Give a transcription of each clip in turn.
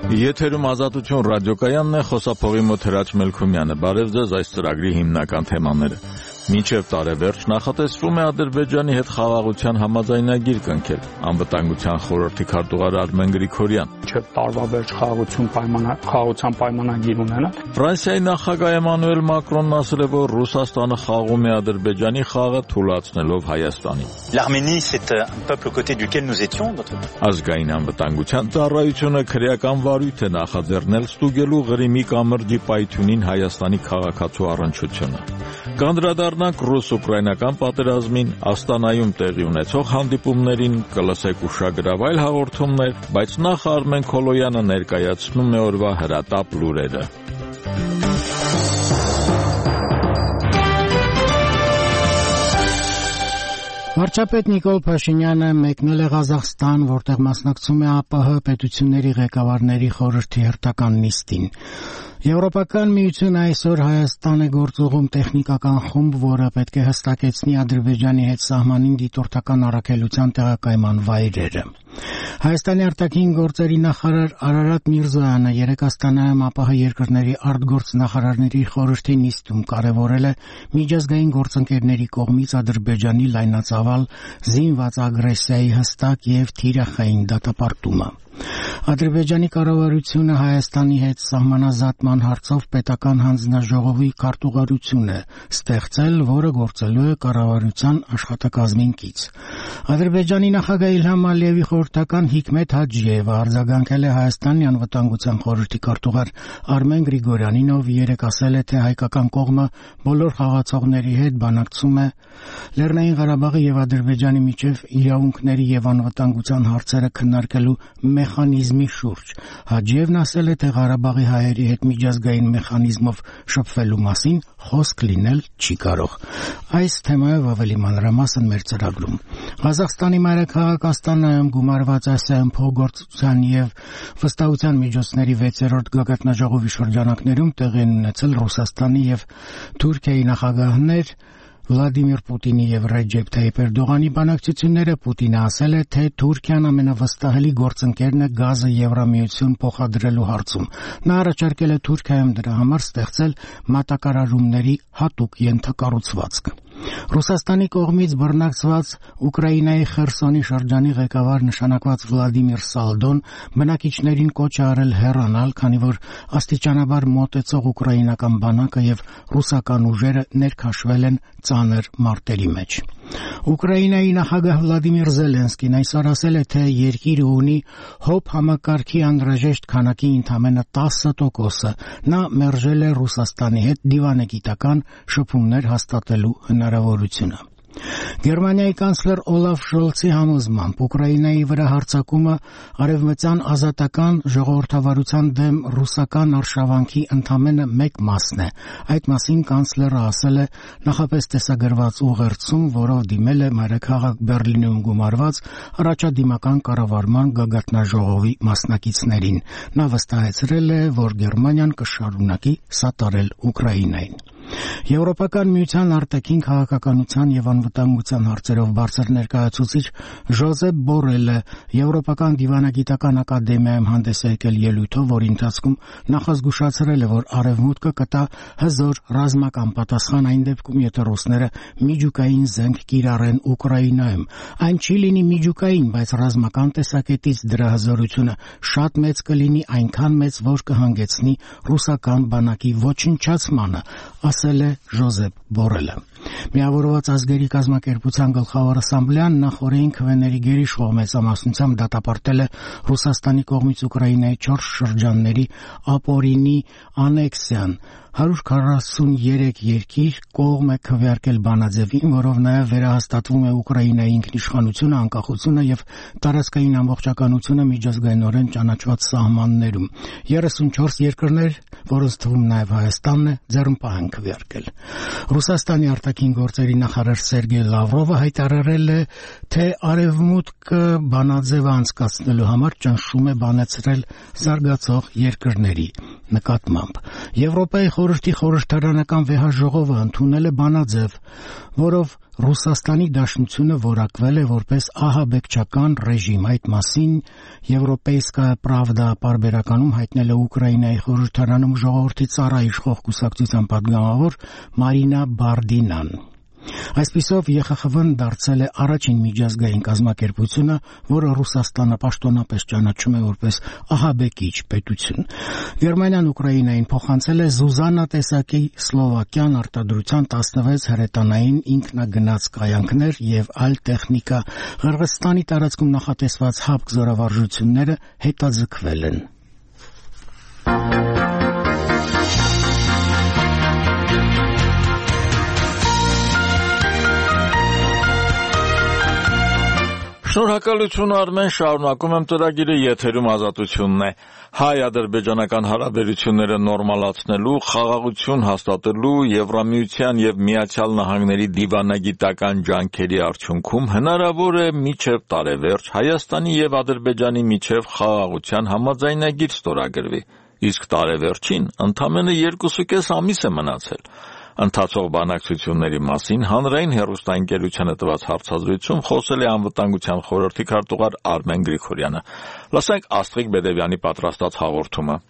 Եթերում Ազատություն ռադիոկայանն է, խոսափողի մոտ Հրաչ Մելքումյանը։ Բարև ձեզ, այս ծրագրի հիմնական թեմաները։ Մինչև տարեվերջ նախատեսվում է Ադրբեջանի հետ խաղաղության համաձայնագիր կնքել։ Անվտանգության խորհրդի քարտուղար Արմեն Գրիգորյան։ Մինչև տարվա վերջ խաղաղության պայմանագիր ունենալ։ Ֆրանսիայի նախագահ Էմանուել Մակրոնն ասել է, որ Ռուսաստանը խաղում է Ադրբեջանի խաղը թուլացնելով Հայաստանին։ L'Arménie, c'est un peuple aux côtés duquel nous étions. Ազգային անվտանգության ծառայությունը քրեական վարույթ է նախաձեռնել ստուգելու Ղրիմի կամրջի պայթյունին Հայաստանի քաղաքացու առնչությունը։ Կանդրադառնանք ռուս-ուկրաինական պատերազմին, Աստանայում տեղի ունեցող հանդիպումներին, կլսեք ուշագրավ այլ հաղորդումներ, բայց նախ Արմեն Քոլոյանը ներկայացնում է օրվա հրատապ լուրերը։ Վարչապետ Նիկոլ Փաշինյանը մեկնել է Ղազախստան, որտեղ մասնակցում է ԱՊՀ պետությունների ղեկավարների խորհրդի հերթական նիստին։ Եվրոպական միությունը այսօր Հայաստան է գործուղում տեխնիկական խումբ, որը պետք է հստակեցնի Ադրբեջանի հետ սահմանին դիտորդական առաքելության տեղակայման վայրերը։ Հայաստանի արտաքին գործերի նախարար Արարատ Միրզոյանը երեկ Աստանայում ԱՊՀ երկրների արտգործնախարարների խորհրդի նիստում կարևորել է միջազգային գործընկերների կողմից Ադրբեջանի լայնածավալ զինված ագրեսիայի հստակ և թիրախային դատապարտումը։ Ադրբեջանի կառավարությունը Հայաստանի հետ սահմանազատման հարցով պետական հանձնաժողովի քարտուղարություն է ստեղծել, որը գործելու է կառավարության աշխատակազմին կից։ Ադրբեջանի նախագահ Իլհամ Ալիևի խորհրդական Հիկմետ Հաջիևը արձագանքել է Հայաստանի անվտանգության խորհրդի քարտուղար Արմեն Գրիգորյանին, ով երեկ ասել է, թե հայկական կողմը բոլոր խաղացողների հետ բանակցում է Լեռնային Ղարաբաղի և Ադրբեջանի միջև իրավունքների և անվտանգության հարցերը քննարկելու մեխանիզմի շուրջ։ Հաջիևն ասել է, թե Ղարաբաղի հայերի հետ միջազգային մեխանիզմով շփվելու մասին խոսք լինել չի կարող։ Այս թեմայով ավելի մանրամասն մեր ծրագրում։ Ղազախստանի մայրաքաղաք Աստանայում գումարված Ասիայում փոխգործության և վստահության միջոցների 6-րդ գագաթնաժողովի շրջանակներում տեղի են ունեցել Ռուսաստանի և Թուրքիայի նախագահներ Վլադիմիր Պուտինի և Ռեջեփ Թայիփ Էրդողանի բանակցությունները Պուտինը ասել է, թե Թուրքիան ամենավստահելի գործընկերն է գազը Եվրամիություն փոխադրելու հարցում։ Նա առաջարկել է Թուրքիայում դրա համար ստեղծել մատակարարումների հատուկ ենթակառուցվածք։ Ռուսաստանի կողմից բռնակցված Ուկրաինայի Խերսոնի շրջանի ղեկավար նշանակված Վլադիմիր Սալդոն բնակիչներին կոչ է արել հեռանալ, քանի որ աստիճանաբար մոտեցող ուկրաինական բանակը և ռուսական ուժերը ներքաշվել են ծանր մարտերի մեջ։ Ուկրաինայի նախագահ Վլադիմիր Զելենսկին այսօր ասել է, թե երկիրը ունի ՀՕՊ համակարգի անհրաժեշտ քանակի ընդամենը 10%։ Նա մերժել է Ռուսաստանի հետ դիվանագիտական շփումներ հաստատելու հնարավորությունը։ Գերմանիայի կանցլեր Օլաֆ Շոլցի համոզմամբ Ուկրաինայի վրա հարձակումը արևմտյան ազատական ժողովրդավարության դեմ ռուսական արշավանքի ընդամենը մեկ մասն է։ Այդ մասին կանցլերը ասել է նախապես տեսագրված ուղերձում, որով դիմել է մայրաքաղաք Բեռլինում գումարված առաջադիմական կառավարման գագաթնաժողովի մասնակիցներին։ Նա վստահեցրել է, որ Գերմանիան կշարունակի սատարել Ուկրաինային։ Եվրոպական միության արտաքին քաղաքականության և անվտանգության հարցերով բարձր ներկայացուցիչ Ժոզեփ Բորելը Եվրոպական դիվանագիտական ակադեմիայում հանդես է եկել ելույթով, որի ընթացքում նախազգուշացրել է, որ Արևմուտքը կտա հզոր ռազմական պատասխան այն դեպքում, եթե ռուսները միջուկային զենք կիրառեն Ուկրաինայում։ Այն չի լինի միջուկային, բայց ռազմական տեսակետից դրա հզորությունը շատ մեծ կլինի, այնքան մեծ, որ կհանգեցնի ռուսական բանակի ոչնչացմանը, ասել է Ժոզեփ Բորելը։ Միավորված ազգերի կազմակերպության գլխավոր ասամբլեան նախօրեին քվեների գերիշխող մեծամասնությամբ դատապարտել է Ռուսաստանի կողմից Ուկրաինայի 4 շրջանների ապօրինի անեքսիան։ 143 երկիր կողմ է քվեարկել բանաձևին, որով նաև վերահաստատվում է Ուկրաինայի ինքնիշխանությունը, անկախությունը և տարածքային ամբողջականությունը միջազգայինորեն ճանաչված սահմաններում։ 34 երկրներ, որոնց թվում նաև Հայաստանն է, ձեռնպահ են քվեարկել։ Ռուսաստանի արտաքին գործերի նախարար Սերգեյ Լավրովը հայտարարել է, թե Արևմուտքը բանաձևը անցկացնելու համար ճնշում է բանացրել զարգացող երկրների նկատմամբ։ Եվրոպայի խորհրդի խորհրդարանական վեհաժողովը ընդունել է բանաձև, որով Ռուսաստանի Դաշնությունը որակվել է որպես ահաբեկչական ռեժիմ։ Այդ մասին Եվրոպեյսկայա պրավդա պարբերականում հայտնել է Ուկրաինայի խորհրդարանում ժողովրդի ծառայ իշխող կուսակցության պատգամավոր Մարինա Բարդինան։ Այսպիսով ԵԽԽՎ-ն դարձել է առաջին միջազգային կազմակերպությունը, որը Ռուսաստանը պաշտոնապես ճանաչում է որպես ահաբեկիչ պետություն։ Գերմանիան Ուկրաինային փոխանցել է Զուզանա տեսակի սլովակյան արտադրության 16 հրետանային ինքնագնաց կայանքներ եւ այլ տեխնիկա։ Ղրղըզստանի տարածքում նախատեսված հապկ զորավարժությունները հետաձգվել են։ Շնորհակալություն Արմեն, շարունակում եմ ծրագիրը, եթերում Ազատությունն է։ Հայ-ադրբեջանական հարաբերությունները նորմալացնելու, խաղաղություն հաստատելու, Եվրամիության եւ Միացյալ Նահանգների դիվանագիտական ջանքերի արդյունքում հնարավոր է մինչեւ տարեվերջ Հայաստանի եւ Ադրբեջանի միջեւ խաղաղության համաձայնագիր ստորագրվի, իսկ տարեվերջին ընդամենը 2.5 ամիս է մնացել։ Ընթացող բանակցությունների մասին հանրային հեռուստաընկերությանը տված հարցազրույցում խոսել է անվտանգության խորհրդի քարտուղար Արմեն Գրիգորյանը։ Լսենք Աստղիկ Բեդևյանի պատրաստած հաղորդումը։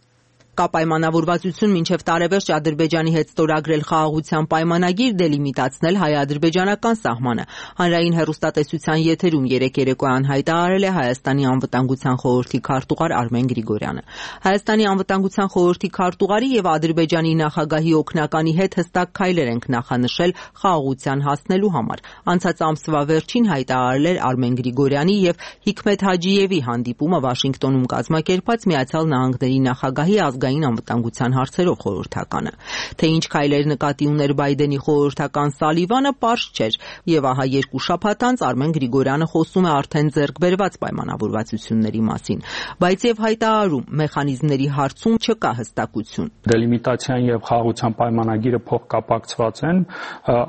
Կա պայմանավորվածություն մինչև տարեվերջ Ադրբեջանի հետ ստորագրել խաղաղության պայմանագիր, դելիմիտացնել հայ-ադրբեջանական սահմանը։ Հանրային հեռուստատեսության եթերում երեկ երեկոյան հայտարարել է Հայաստանի անվտանգության խորհրդի քարտուղար Արմեն Գրիգորյանը։ Հայաստանի անվտանգության խորհրդի քարտուղարի եւ Ադրբեջանի նախագահի օգնականի հետ հստակ քայլեր ենք նախանշել խաղաղության հասնելու համար։ Անցած ամսվա վերջին հայտարարել էր Արմեն Գրիգորյանի եւ Հիկմետ Հաջիևի հանդիպումը Վաշինգտոնում կազմակերպած Միացյալ Նահանգների նախագահի անվտանգության հարցերով խորհրդականը։ Թե ինչ քայլեր նկատի ուներ Բայդենի խորհրդական Սալիվանը, պարզ չէր, եւ ահա 2 շաբաթ անց Արմեն Գրիգորյանը խոսում է արդեն ձեռք բերված պայմանավորվածությունների մասին, բայց եւ հայտարարում մեխանիզմների հարցում չկա հստակություն։ Դելիմիտացիան եւ խաղաղության պայմանագիրը փոխկապակցված են,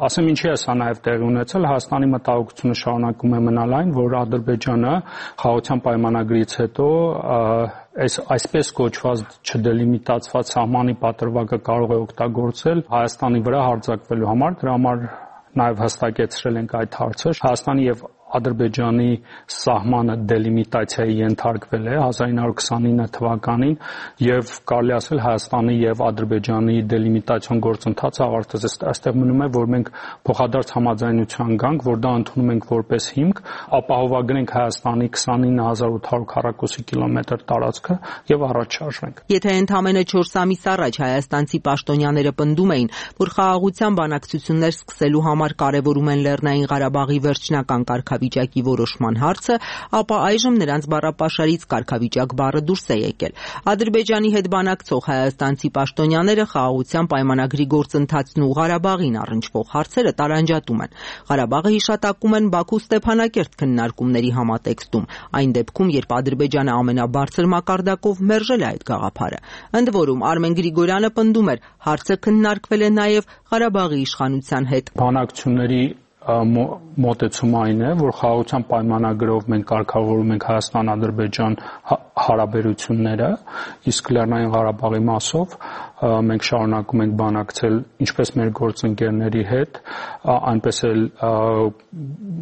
ասեմ ինչի է սա նաեւ տեղի ունեցել, Հայաստանի մտահոգությունը շարունակում է մնալ այն, որ Ադրբեջանը խաղաղության պայմանագրից հետո այսպես կոչված չդելիմիտացված սահմանի պատրվակը կարող է օգտագործել Հայաստանի վրա հարձակվելու համար, դրա համար նաև հստակեցրել ենք այդ հարցը։ Հայաստանի եւ Ադրբեջանի սահմանը դելիմիտացիայի ենթարկվել է 1929 թվականին եւ կարելի ասել Հայաստանի եւ Ադրբեջանի դելիմիտացիոն գործընթացը ավարտվեց։ Այստեղ մնում է, որ մենք փոխադարձ համաձայնության գանք, որ դա ընդունում ենք որպես հիմք, ապահովագրենք Հայաստանի 29800 քառակուսի կիլոմետր տարածքը եւ առաջ շարժվենք։ Եթե ընդամենը 4 ամիս առաջ հայաստանցի պաշտոնյաները պնդում էին, որ խաղաղության բանակցություններ սկսելու համար կարևորում են Լեռնային Ղարաբաղի վերջնական կարգավիճակի որոշման հարցը, ապա այժմ նրանց բառապաշարից կարգավիճակ բառը դուրս է եկել։ Ադրբեջանի հետ բանակցող հայաստանցի պաշտոնյաները խաղաղության պայմանագրի գործընթացն ու Ղարաբաղին առնչվող հարցերը տարանջատում են։ Ղարաբաղը հիշատակում են Բաքու-Ստեփանակերտ քննարկումների համատեքստում, այն դեպքում, երբ Ադրբեջանը ամենաբարձր մակարդակով մերժել է այդ գաղափարը։ Ընդ որում Արմեն Գրիգորյանը պնդում էր, հարցը քննարկվել է նաև Ղարաբաղի իշխանության հետ։ Բանակցությունների մոտեցումը այն է, որ խաղաղության պայմանագրով մենք կարգավորում ենք Հայաստան-Ադրբեջան հարաբերությունները, իսկ Լեռնային Ղարաբաղի մասով մենք շարունակում ենք բանակցել ինչպես մեր գործընկերների հետ, այնպես էլ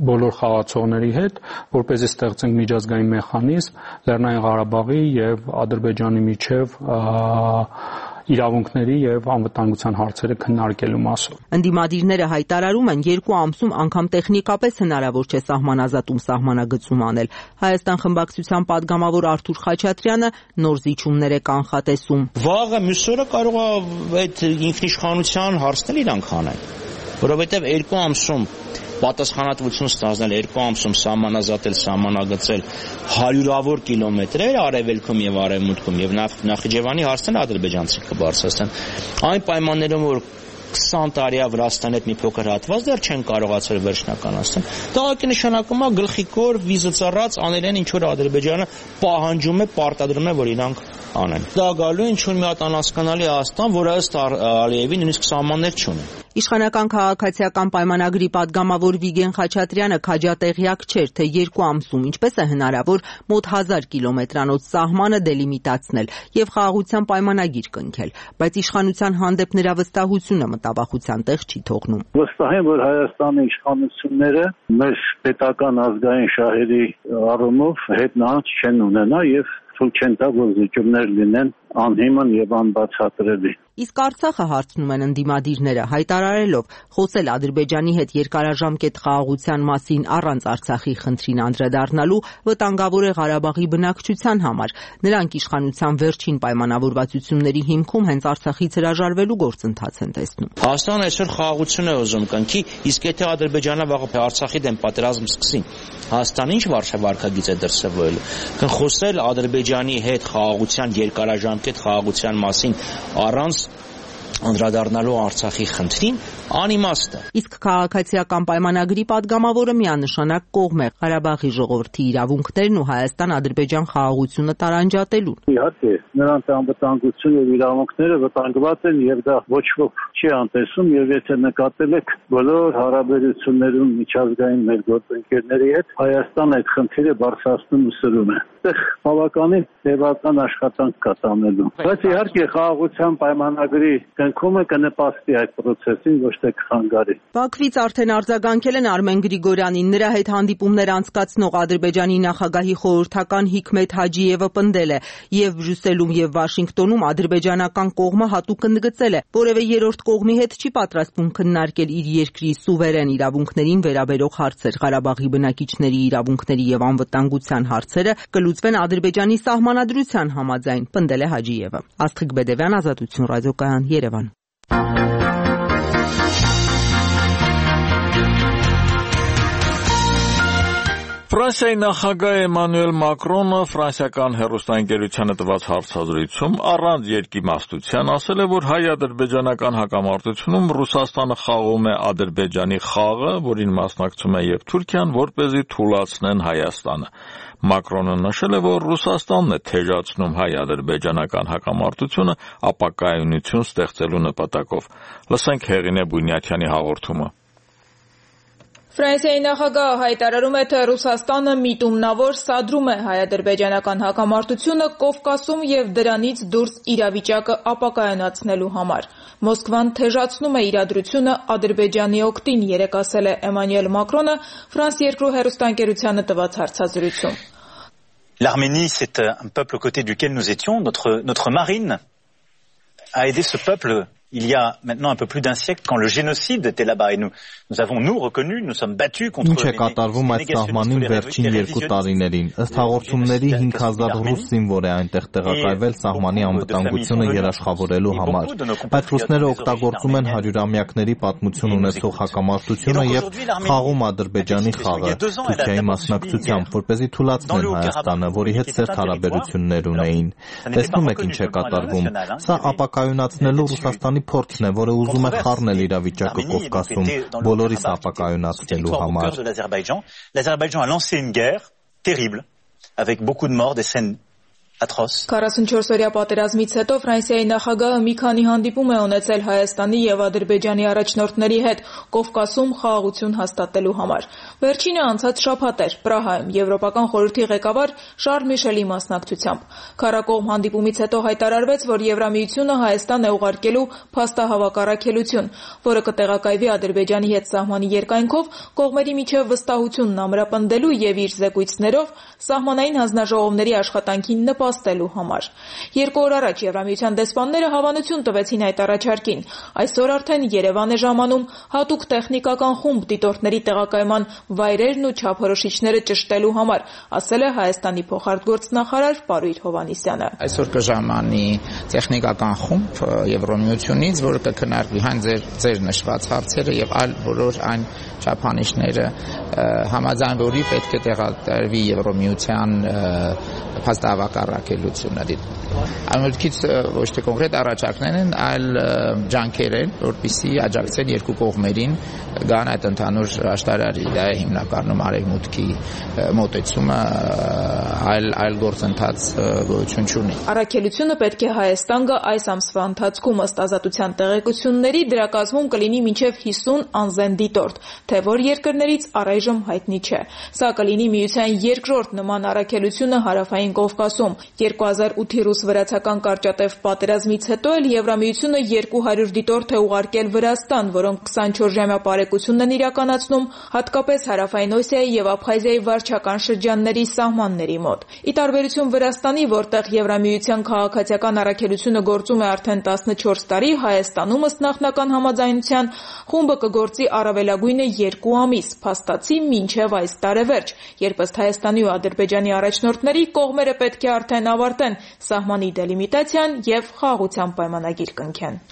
բոլոր խաղացողների հետ, որպեսզի ստեղծենք միջազգային մեխանիզմ Լեռնային Ղարաբաղի եւ Ադրբեջանի միջև իրավունքների եւ անվտանգության հարցերը քննարկելու մասով։ Ընդդիմադիրները հայտարարում են 2 ամսում անգամ տեխնիկապես հնարավոր չէ սահմանազատում սահմանագծում անել։ Հայաստան խմբակցության падգամավոր Արթուր Խաչատրյանը նոր զիջումներ է կանխատեսում։ Վաղը մյուսօրը կարող է այդ ինքնիշխանության հարցն իրանք հանեն, որովհետեւ 2 ամսում պատասխանատվություն ստանձնել, 2 ամսում սահմանազատել, սահմանագծել հարյուրավոր կիլոմետրեր արևելքում եւ արևմուտքում եւ Նախիջևանի հարցն ադրբեջանցի կբարձրացնեն։ Այն պայմաններում, որ 20 տարի է Վրաստանի հետ մի փոքր հատված դեռ չեն կարողացել վերջնականացնել։ Դա ակի նշանակում է գլխիկոր վիզը ծառած անել են ինչ որ Ադրբեջանը պահանջում է, պարտադրում է, որ իրանք անեն։ Դա գալու ինչ որ մի հատ անհասկանալի Հայաստան, որը ըստ Ալիևի նույնիսկ սահմաններ չունի։ Իշխանական քաղաքացիական պայմանագրի պատգամավոր Վիգեն Խաչատրյանը քաջատեղյակ չէր, թե 2 ամսում ինչպես է հնարավոր մոտ 1000 կիլոմետրանոց սահմանը դելիմիտացնել եւ խաղաղության պայմանագիր կնքել, բայց իշխանության հանդեպ նրա վստահությունը մտավախության տեղ չի թողնում։ Վստահ եմ, որ Հայաստանի իշխանությունները մեր պետական ազգային շահերի առումով հետնահանջ չեն ունենա եւ թույլ չեն տա, որ զիջումներ լինեն անհիմն եւ անբացատրելի։ Իսկ Արցախը հարցնում են ընդդիմադիրները, հայտարարելով խոսել Ադրբեջանի հետ երկարաժամկետ խաղաղության մասին առանց Արցախի խնդրին անդրադառնալու վտանգավոր է Ղարաբաղի բնակչության համար։ Նրանք իշխանության վերջին պայմանավորվածությունների հիմքում հենց Արցախից հրաժարվելու գործընթաց են տեսնում։ Հայաստանը այսօր խաղաղություն է ուզում կնքի, իսկ եթե Ադրբեջանը վաղը Արցախի դեմ պատերազմ սկսի, Հայաստանը ինչ վարչագիծ է դրսևորելու։ Խոսել Ադրբեջանի հետ խաղաղության երկարաժամկետ խաղաղության մասին առանց անդրադառնալու Արցախի խնդրին անիմաստ է։ Իսկ քաղաքացիական պայմանագրի պատգամավորը միանշանակ կողմ է Ղարաբաղի ժողովրդի իրավունքներն ու Հայաստան-Ադրբեջան խաղաղությունը տարանջատելուն։ Իհարկե, նրանց անվտանգությունը եւ իրավունքները վտանգված են եւ դա ոչ ոք չի անտեսում եւ եթե նկատել եք բոլոր հարաբերություններում միջազգային մեր գործընկերների հետ Հայաստանը այդ խնդիրը բարձրացնում ու սրում է։ Այդտեղ բավականին տևական աշխատանք կա տանելու։ Բայց իհարկե խաղաղության պայմանագրի կնքումը կնպաստի այդ process-ին ոչ թե կխանգարի։ Բաքվից արդեն արձագանքել են Արմեն Գրիգորյանին, նրա հետ հանդիպումներ անցկացնող Ադրբեջանի նախագահի խորհրդական Հիկմետ Հաջիևը պնդել է եւ Բրյուսելում եւ Վաշինգտոնում ադրբեջանական կողմը հատուկ ընդգծել է, որևէ երրորդ կողմի հետ չի պատրաստվում քննարկել իր երկրի սուվերեն իրավունքներին վերաբերող հարցեր։ Ղարաբաղի բնակիչների իրավունքների եւ անվտանգության հարցերը կլուծվեն Ադրբեջանի սահմանադրության համաձայն, պնդել է Հաջիևը։ Աստղիկ Բեդևյան, Ազատություն ռադիոկայան, Երևան։ Ֆրանսիայի նախագահ Էմանուել Մակրոնը ֆրանսիական հեռուստաընկերությանը տված հարցազրույցում առանց երկիմաստության ասել է, որ հայ-ադրբեջանական հակամարտությունում Ռուսաստանը խաղում է Ադրբեջանի խաղը, որին մասնակցում է եւ Թուրքիան, որպեսզի թուլացնեն Հայաստանը։ Մակրոնը նշել է, որ Ռուսաստանն է թեժացնում հայ-ադրբեջանական հակամարտությունը ապակայունություն ստեղծելու նպատակով։ Լսենք Հեղինե Բունյաթյանի հաղորդումը։ Ֆրանսիայի նախագահը հայտարարում է, թե Ռուսաստանը միտումնավոր սադրում է հայ-ադրբեջանական հակամարտությունը Կովկասում եւ դրանից դուրս իրավիճակը ապակայունացնելու համար։ Մոսկվան թեժացնում է իրադրությունը Ադրբեջանի օգտին, երեկ ասել է Էմանուել Մակրոնը Ֆրանս 2 հեռուստաընկերությանը տված հարցազրույցում։ L'Arménie, c'est un peuple aux côtés duquel nous étions. Notre marine a aidé ce peuple il y a maintenant un peu plus d'un siècle quand le génocide était là-bas et nous avons reconnu, nous sommes battus contre Ինչ է կատարվում այդ սահմանին վերջին 2 տարիներին։ Ըստ հաղորդումների 5000 ռուս զինվոր է այնտեղ տեղակայվել սահմանի անվտանգությունը երաշխավորելու համար։ Բայց ռուսները օգտագործում են հարյուրամյակների պատմություն ունեցող հակամարտությունը եւ խաղում Ադրբեջանի խաղը Թուրքիայի մասնակցությամբ, որպեսզի թուլացնեն Հայաստանը, որի հետ սերտ հարաբերություններ ունեին։ Տեսնում եք ինչ է կատարվում։ Սա ապակայունացնելու Ռուսաստանի փորձն է, որը ուզում է խառնել իրավիճակը Կովկասում, բոլորիս ապակայունացնելու համար։ L'Azerbaïdjan a lancé une guerre terrible avec beaucoup de morts, des scènes atroces. 44-օրյա պատերազմից հետո Ֆրանսիայի նախագահը մի քանի հանդիպում է ունեցել Հայաստանի եւ Ադրբեջանի առաջնորդների հետ Կովկասում խաղաղություն հաստատելու համար։ Վերջինը անցած շաբաթ էր Պրահայում Եվրոպական խորհրդի ղեկավար Շարլ Միշելի մասնակցությամբ։ Քարակողմ հանդիպումից հետո հայտարարվեց, որ Եվրամիությունը Հայաստան է ուղարկելու փաստահավաք-առաքելություն, որը կտեղակայվի Ադրբեջանի հետ սահմանի երկայնքով կողմերի միջև վստահությունն ամրապնդելու եւ իր զեկույցներով սահմանային հանձնաժողովների աշխատանքին նպաստելու համար։ 2 օր առաջ Եվրամիության դեսպանները հավանություն տվեցին այդ առաջարկին։ Այսօր արդեն Երևան է ժամանում հատուկ տեխնիկական խումբ դիտորդների տեղակայման վայրերն ու չափորոշիչները ճշտելու համար, ասել է Հայաստանի փոխարտգործնախարար Պարույր Հովհաննիսյանը։ Այսօր կժամանի տեխնիկական խումբ Եվրամիությունից, որը կքննարկի հայն ձեր նշված հարցերը եւ այլ բոլոր այն չափանիշները, համաձայն որի պետք է տեղադրվի Եվրամիության փաստահավաք-առաքելությունը։ Ամենքից ոչ թե կոնկրետ առաջարկներ են, այլ ջանքեր են, որպեսզի աջակցեն երկու կողմերին գան այդ ընդհանուր աշտարարի։ Դա է հիմնականում արևմուտքի մոտեցումը այլ գործընթաց գոյություն չունի։ Առաքելությունը պետք է Հայաստան գա այս ամսվա ընթացքում ըստ ազատության տեղեկությունների դրա կազմում կլինի մինչև 50 անզեն դիտորդ, թե որ երկրներից առայժմ հայտնի չէ։ Սա կլինի միության երկրորդ նման առաքելությունը Հարավային Կովկասում։ 2008-ի ռուս-վրացական կարճատև պատերազմից հետո էլ Եվրամիությունը 200 դիտորդ է ուղարկել Վրաստան, որոնք 24-ժամյա պարեկություն են իրականացնում հատկապես Հարավային Օսիայի և Աբխազիայի վարչական շրջանների սահմանների մոտ։ Ի տարբերություն Վրաստանի, որտեղ Եվրամիության քաղաքացիական առաքելությունը գործում է արդեն 14 տարի, Հայաստանում ըստ նախնական համաձայնության խումբը կգործի առավելագույնը 2 ամիս, փաստացի մինչև այս տարեվերջ, երբ ըստ Հայաստանի ու Ադրբեջանի առաջնորդների կողմերը պետք է արդեն ավարտեն սահմանի դելիմիտացիան և խաղաղության պայմանագիր կնքեն։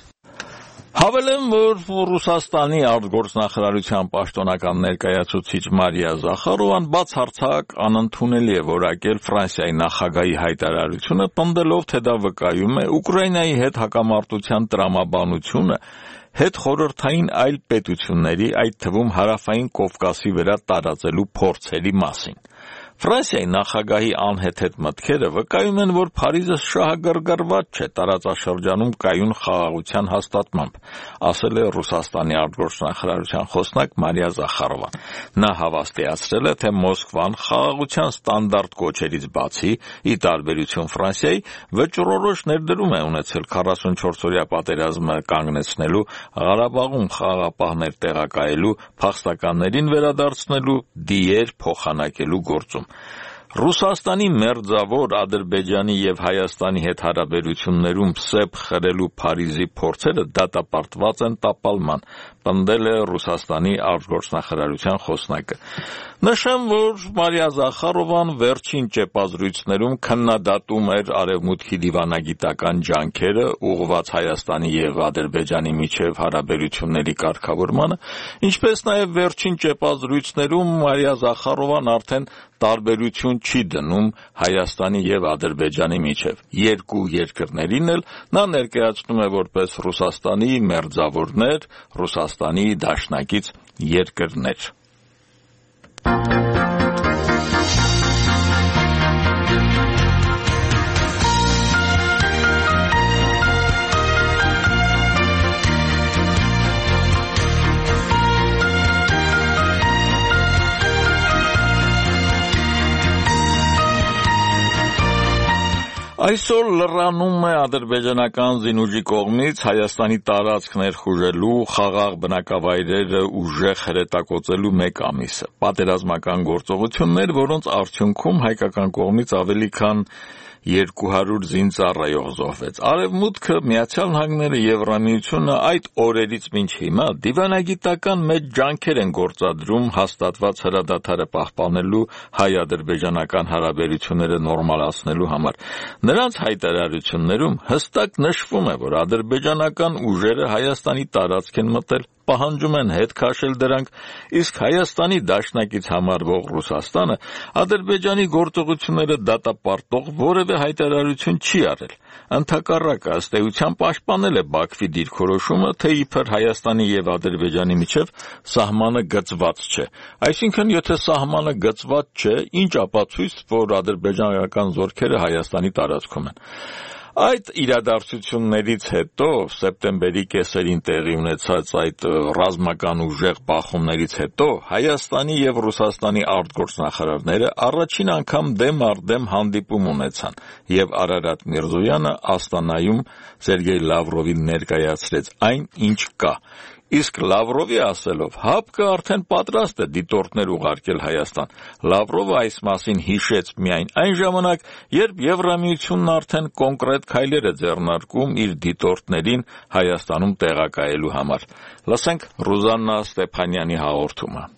Հավելեմ, որ Ռուսաստանի արտգործնախարարության պաշտոնական ներկայացուցիչ Մարիա Զախարովան բացարձակ անընդունելի է որակել Ֆրանսիայի նախագահի հայտարարությունը, պնդելով, թե դա վկայում է Ուկրաինայի հետ հակամարտության տրամաբանությունը հետխորհրդային այլ պետությունների, այդ թվում Հարավային Կովկասի վրա տարածելու փորձերի մասին։ Ֆրանսիայի նախագահի անհեթեթ մտքերը վկայում են, որ Փարիզը շահագրգռված չէ տարածաշրջանում կայուն խաղաղության հաստատմամբ, ասել է Ռուսաստանի արտգործնախարարության խոսնակ Մարիա Զախարովան։ Նա հավաստիացրել է, թե Մոսկվան խաղաղության ստանդարտ կոչերից բացի, ի տարբերություն Ֆրանսիայի, վճռորոշ ներդրում է ունեցել 44-օրյա պատերազմը կանգնեցնելու, Ղարաբաղում խաղաղապահներ տեղակայելու, փախստականներին վերադարձնելու, դիեր փոխանակելու գործում։ Ռուսաստանի մերձավոր Ադրբեջանի և Հայաստանի հետ հարաբերություններում սեպ խրելու Փարիզի փորձերը դատապարտված են տապալման, պնդել է Ռուսաստանի արտգործնախարարության խոսնակը։ Նշեմ, որ Մարիա Զախարովան վերջին ճեպազրույցներում քննադատում էր Արևմուտքի դիվանագիտական ջանքերը ուղղված Հայաստանի և Ադրբեջանի միջև հարաբերությունների կարգավորմանը, ինչպես նաև վերջին ճեպազրույցներում Մարիա Զախարովան արդեն տարբերություն չի դնում Հայաստանի և Ադրբեջանի միջև։ Երկու երկրներին էլ նա ներկայացնում է որպես Ռուսաստանի մերձավորներ, Ռուսաստանի դաշնակից երկրներ։ Այսօր լրանում է ադրբեջանական զինուժի կողմից Հայաստանի տարածք ներխուժելու, խաղաղ բնակավայրերը ուժեղ հրետակոծելու 1 ամիսը։ Պատերազմական գործողություններ, որոնց արդյունքում հայկական կողմից ավելի քան 200 զինծառայող զոհվեց։ Արևմուտքը, Միացյալ Նահանգները, Եվրամիությունը այդ օրերից մինչ հիմա դիվանագիտական մեծ ջանքեր են գործադրում հաստատված հրադադարը պահպանելու հայ-ադրբեջանական հարաբերությունները նորմալացնելու համար։ Նրանց հայտարարություններում հստակ նշվում է, որ ադրբեջանական ուժերը Հայաստանի տարածք են մտել, պահանջում են հետ քաշել դրանք, իսկ Հայաստանի դաշնակից համարվող Ռուսաստանը Ադրբեջանի գործողությունները դատապարտող որևէ հայտարարություն չի արել։ Ընդհակառակը, ըստ էության պաշտպանել է Բաքվի դիրքորոշումը, թե իբր Հայաստանի և Ադրբեջանի միջև սահմանը գծված չէ։ Այսինքն, եթե սահմանը գծված չէ, ինչ ապացույց, որ ադրբեջանական զորքերը Հայաստանի տարածքում են։ Այդ իրադարձություններից հետո, սեպտեմբերի կեսերին տեղի ունեցած այդ ռազմական ուժեղ բախումներից հետո, Հայաստանի և Ռուսաստանի արտգործնախարարները առաջին անգամ դեմ առ դեմ հանդիպում ունեցան, և Արարատ Միրզոյանը Աստանայում Սերգեյ Լավրովին ներկայացրեց այն, ինչ կա։ Իսկ Լավրովի ասելով, ՀԱՊԿ-ը արդեն պատրաստ է դիտորդներ ուղարկել Հայաստան։ Լավրովը այս մասին հիշեց միայն այն ժամանակ, երբ Եվրամիությունն արդեն կոնկրետ քայլեր է ձեռնարկում իր դիտորդներին Հայաստանում տեղակայելու համար։ Լսենք Ռուզաննա Ստեփանյանի հաղորդումը։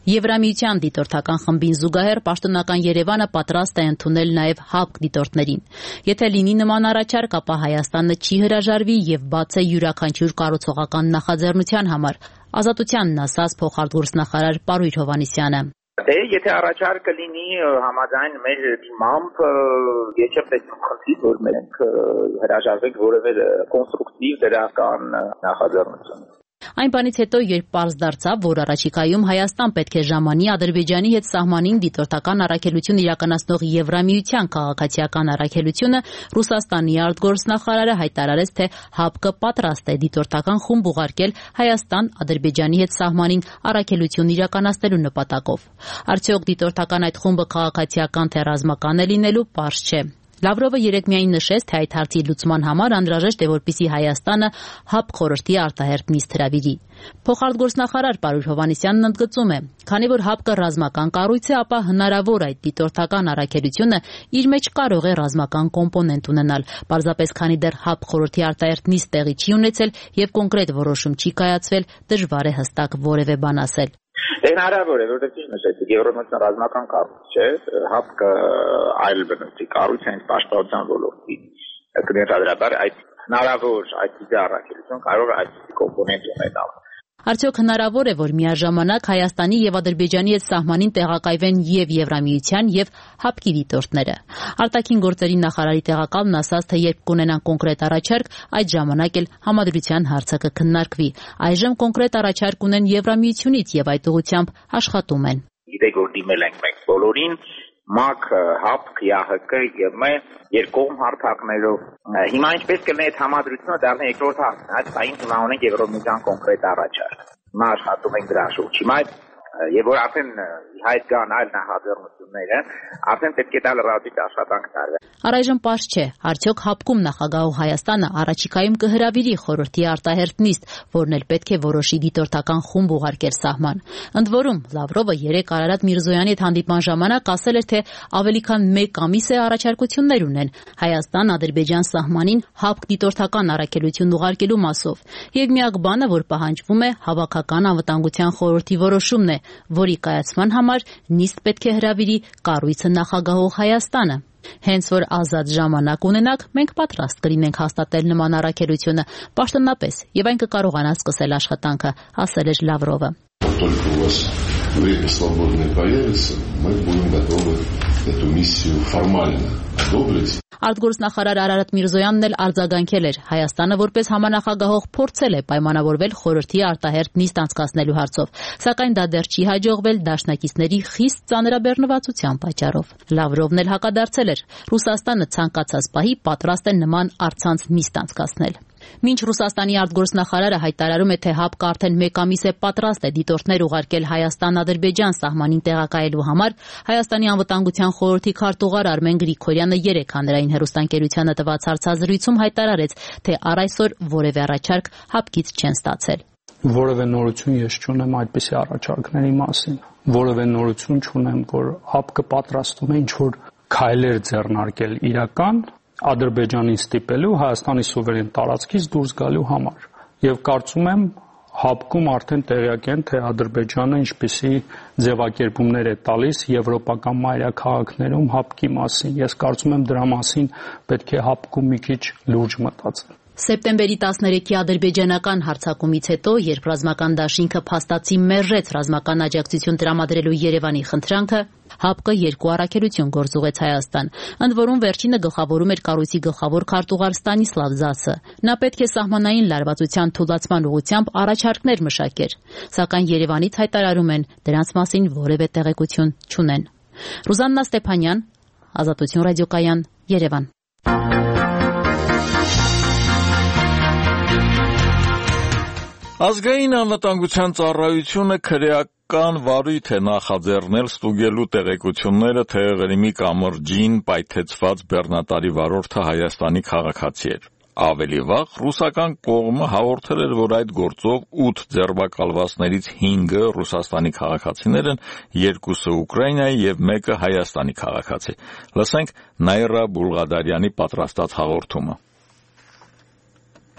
Եվրամիության դիտորդական խմբին զուգահեռ պաշտոնական Երևանը պատրաստ է ընդունել նաև ՀԱՊԿ դիտորդներին։ Եթե լինի նման առաջարկ, ապա Հայաստանը չի հրաժարվի և բաց է յուրաքանչյուր կառուցողական նախաձեռնության համար, Ազատությանն ասաց փոխարտգործնախարար Պարույր Հովհաննիսյանը։ Եթե առաջարկը լինի համաձայն մեր դիմամբ, ես չպետք է խնդրի, որ մենք հրաժարվենք որևէ կոնստրուկտիվ դրական նախաձեռնություն։ Այն բանից հետո, երբ պարզ դարձավ, որ առաջիկայում Հայաստան պետք է ժամանի Ադրբեջանի հետ սահմանին դիտորդական առաքելություն իրականացնող Եվրամիության քաղաքացիական առաքելությունը, Ռուսաստանի արտգործնախարարը հայտարարեց, թե ՀԱՊԿ պատրաստ է դիտորդական խումբ ուղարկել Հայաստան Ադրբեջանի հետ սահմանին առաքելություն իրականացնելու նպատակով։ Արդյոք դիտորդական այդ խումբը քաղաքացիական թե ռազմական է լինելու, պարզ չէ։ Լավրովը երեկ միայն նշեց, թե այդ հարցի լուծման համար անհրաժեշտ է, որպեսզի Հայաստանը ՀԱՊԿ խորհրդի արտահերթ նիստ հրավիրի։ Փոխարտգործնախարար Պարույր Հովհաննիսյանն ընդգծում է, քանի որ ՀԱՊԿ ռազմական կառույց է, ապա հնարավոր այդ դիտորդական առաքելությունը իր մեջ կարող է ռազմական կոմպոնենտ ունենալ, պարզապես քանի դեռ ՀԱՊԿ խորհրդի արտահերթ նիստ տեղի չի ունեցել եւ կոնկրետ որոշում չի կայացվել, դժվար է հստակ որևէ բան ասել։ Հնարավոր է, որտեղ ճիշտ նշեցիք, Եվրոմիության ռազմական կառույց չէ, ՀԱՊԿ այլ բնույթի կառույց է, պաշտպանության ոլորտի կներկայացրաբար այդ հնարավոր այդ առաքելություն կարող է այդ կոմպոնենտ ունենալ։ Արդյոք հնարավոր է, որ միաժամանակ Հայաստանի եւ Ադրբեջանի հետ սահմանին տեղակայվեն եւ Եվրամիության եւ ՀԱՊԿ-ի դիտորդները։ Արտաքին գործերի նախարարի տեղակալն ասաց, թե երբ կունենան կոնկրետ առաջարկ, այդ ժամանակ էլ համադրության հարցը կքննարկվի։ Այժմ կոնկրետ առաջարկ ունեն Եվրամիությունից եւ այդ ուղղությամբ աշխատում են։ Գիտեք, որ դիմել ենք մենք բոլորին, ՄԱԿ, ՀԱՊԿ, ԵԱՀԿ եւ ՄԵ երկկողմ հարթակներով։ Հիմա ինչպես կլինի այդ համադրությունը դառնա երկրորդ հարցն, այդ բային հիմա ունենք Եվրոմիության կոնկրետ առաջարկ։ Հիմա աշխատում ենք դրա շուրջ։ Հիմա եւ որ արդեն հայտ կան այլ նախաձեռնությունները, արդեն պետք է տալ ռադիկ աշխատանք տարվի։ Առայժմ պարզ չէ, արդյոք ՀԱՊԿ-ում նախագահող Հայաստանը առաջիկայում կհրավիրի խորհրդի արտահերթ նիստ, որն էլ պետք է որոշի դիտորդական խումբ ուղարկել սահման։ Ընդ որում, Լավրովը երեկ Արարատ Միրզոյանի հետ հանդիպման ժամանակ ասել էր, թե ավելի քան 1 ամիս է առաջարկություններ ունեն Հայաստան-Ադրբեջան սահմանին ՀԱՊԿ դիտորդական առաքելություն ուղարկելու մասով։ Եվ միակ բանը, որ պահանջվում է, հավաքական անվտանգության խորհրդի որոշումն է, որի կայացման համար նիստ պետք է հրավիրի կառույցը նախագահող Հայաստանը։ Հենց որ ազատ ժամանակ ունենաք, մենք պատրաստ կլինենք հաստատել նման առաքելությունը պաշտոնապես, եւ այն կկարողանա սկսել աշխատանքը, ասել էր Լավրովը։ Время свободное появится, мы будем готовы эту миссию формально одобрить. Արտգործնախարար Արարատ Միրզոյանն էլ արձագանքել էր Հայաստանը որպես համանախագահող փորձել է պայմանավորվել խորհրդի արտահերթ նիստ անցկացնելու հարցով, սակայն դա դեռ չի հաջողվել դաշնակիցների խիստ ծանրաբեռնվածության պատճառով։ Լավրովն էլ հակադարձել էր, Ռուսաստանը ցանկացած պահի պատրաստ է նման առցանց նիստ անցկացնել։ Մինչ Ռուսաստանի արտգործնախարարը հայտարարում է, թե ՀԱՊԿ արդեն 1 ամիս է պատրաստ է դիտորդներ ուղարկել Հայաստան-Ադրբեջան սահմանին տեղակայելու համար, Հայաստանի անվտանգության խորհրդի քարտուղար Արմեն Գրիգորյանը երեկ հանրային հեռուստաընկերությանը տված հարցազրույցում հայտարարեց, թե առ այսօր որևէ առաջարկ ՀԱՊԿ-ից չեն ստացել։ Որևէ նորություն ես չունեմ այդպիսի առաջարկների մասին։ Որևէ նորություն չունեմ, որ ՀԱՊԿ-ը պատրաստում է ինչ-որ քայլեր ձեռնարկել իրական Ադրբեջանին ստիպելու Հայաստանի սուվերեն տարածքից դուրս գալու համար։ Եվ կարծում եմ ՀԱՊԿ-ում արդեն տեղյակ են, թե Ադրբեջանը ինչպիսի ձևակերպումներ է տալիս եվրոպական մայրաքաղաքներում ՀԱՊԿ-ի մասին։ Ես կարծում եմ դրա մասին պետք է ՀԱՊԿ-ում մի քիչ լուրջ մտածել։ Սեպտեմբերի 13-ի ադրբեջանական հարձակումից հետո, երբ ռազմական դաշինքը փաստացի մերժեց ռազմական աջակցություն տրամադրելու Երևանի խնդրանքը, ՀԱՊԿ-ը 2 առաքելություն գործուղեց Հայաստան, ընդ որում վերջինը գլխավորում էր կառույցի գլխավոր քարտուղար Ստանիսլավ Զասը։ Նա պետք է սահմանային լարվածության թույլատման ուղղությամբ առաջարկներ մշակեր, սակայն Երևանից հայտարարում են, դրանց մասին որևէ տեղեկություն չունեն։ Ռուզաննա Ստեփանյան, Ազատություն ռադիոկայան, Երևան։ Ազգային անվտանգության ծառայությունը քրեական վարույթ է նախաձեռնել ստուգելու տեղեկությունները, թե Ղրիմի կամրջին պայթեցված բեռնատարի վարորդը Հայաստանի քաղաքացի էր։ Ավելի վաղ ռուսական կողմը հաղորդել էր, որ այդ գործով 8 ձերբակալվածներից 5-ը Ռուսաստանի քաղաքացիներ են, 2-ը Ուկրաինայի եւ 1-ը Հայաստանի քաղաքացի։ Լսենք Նաիրա Բուլղադարյանի պատրաստած հաղորդումը։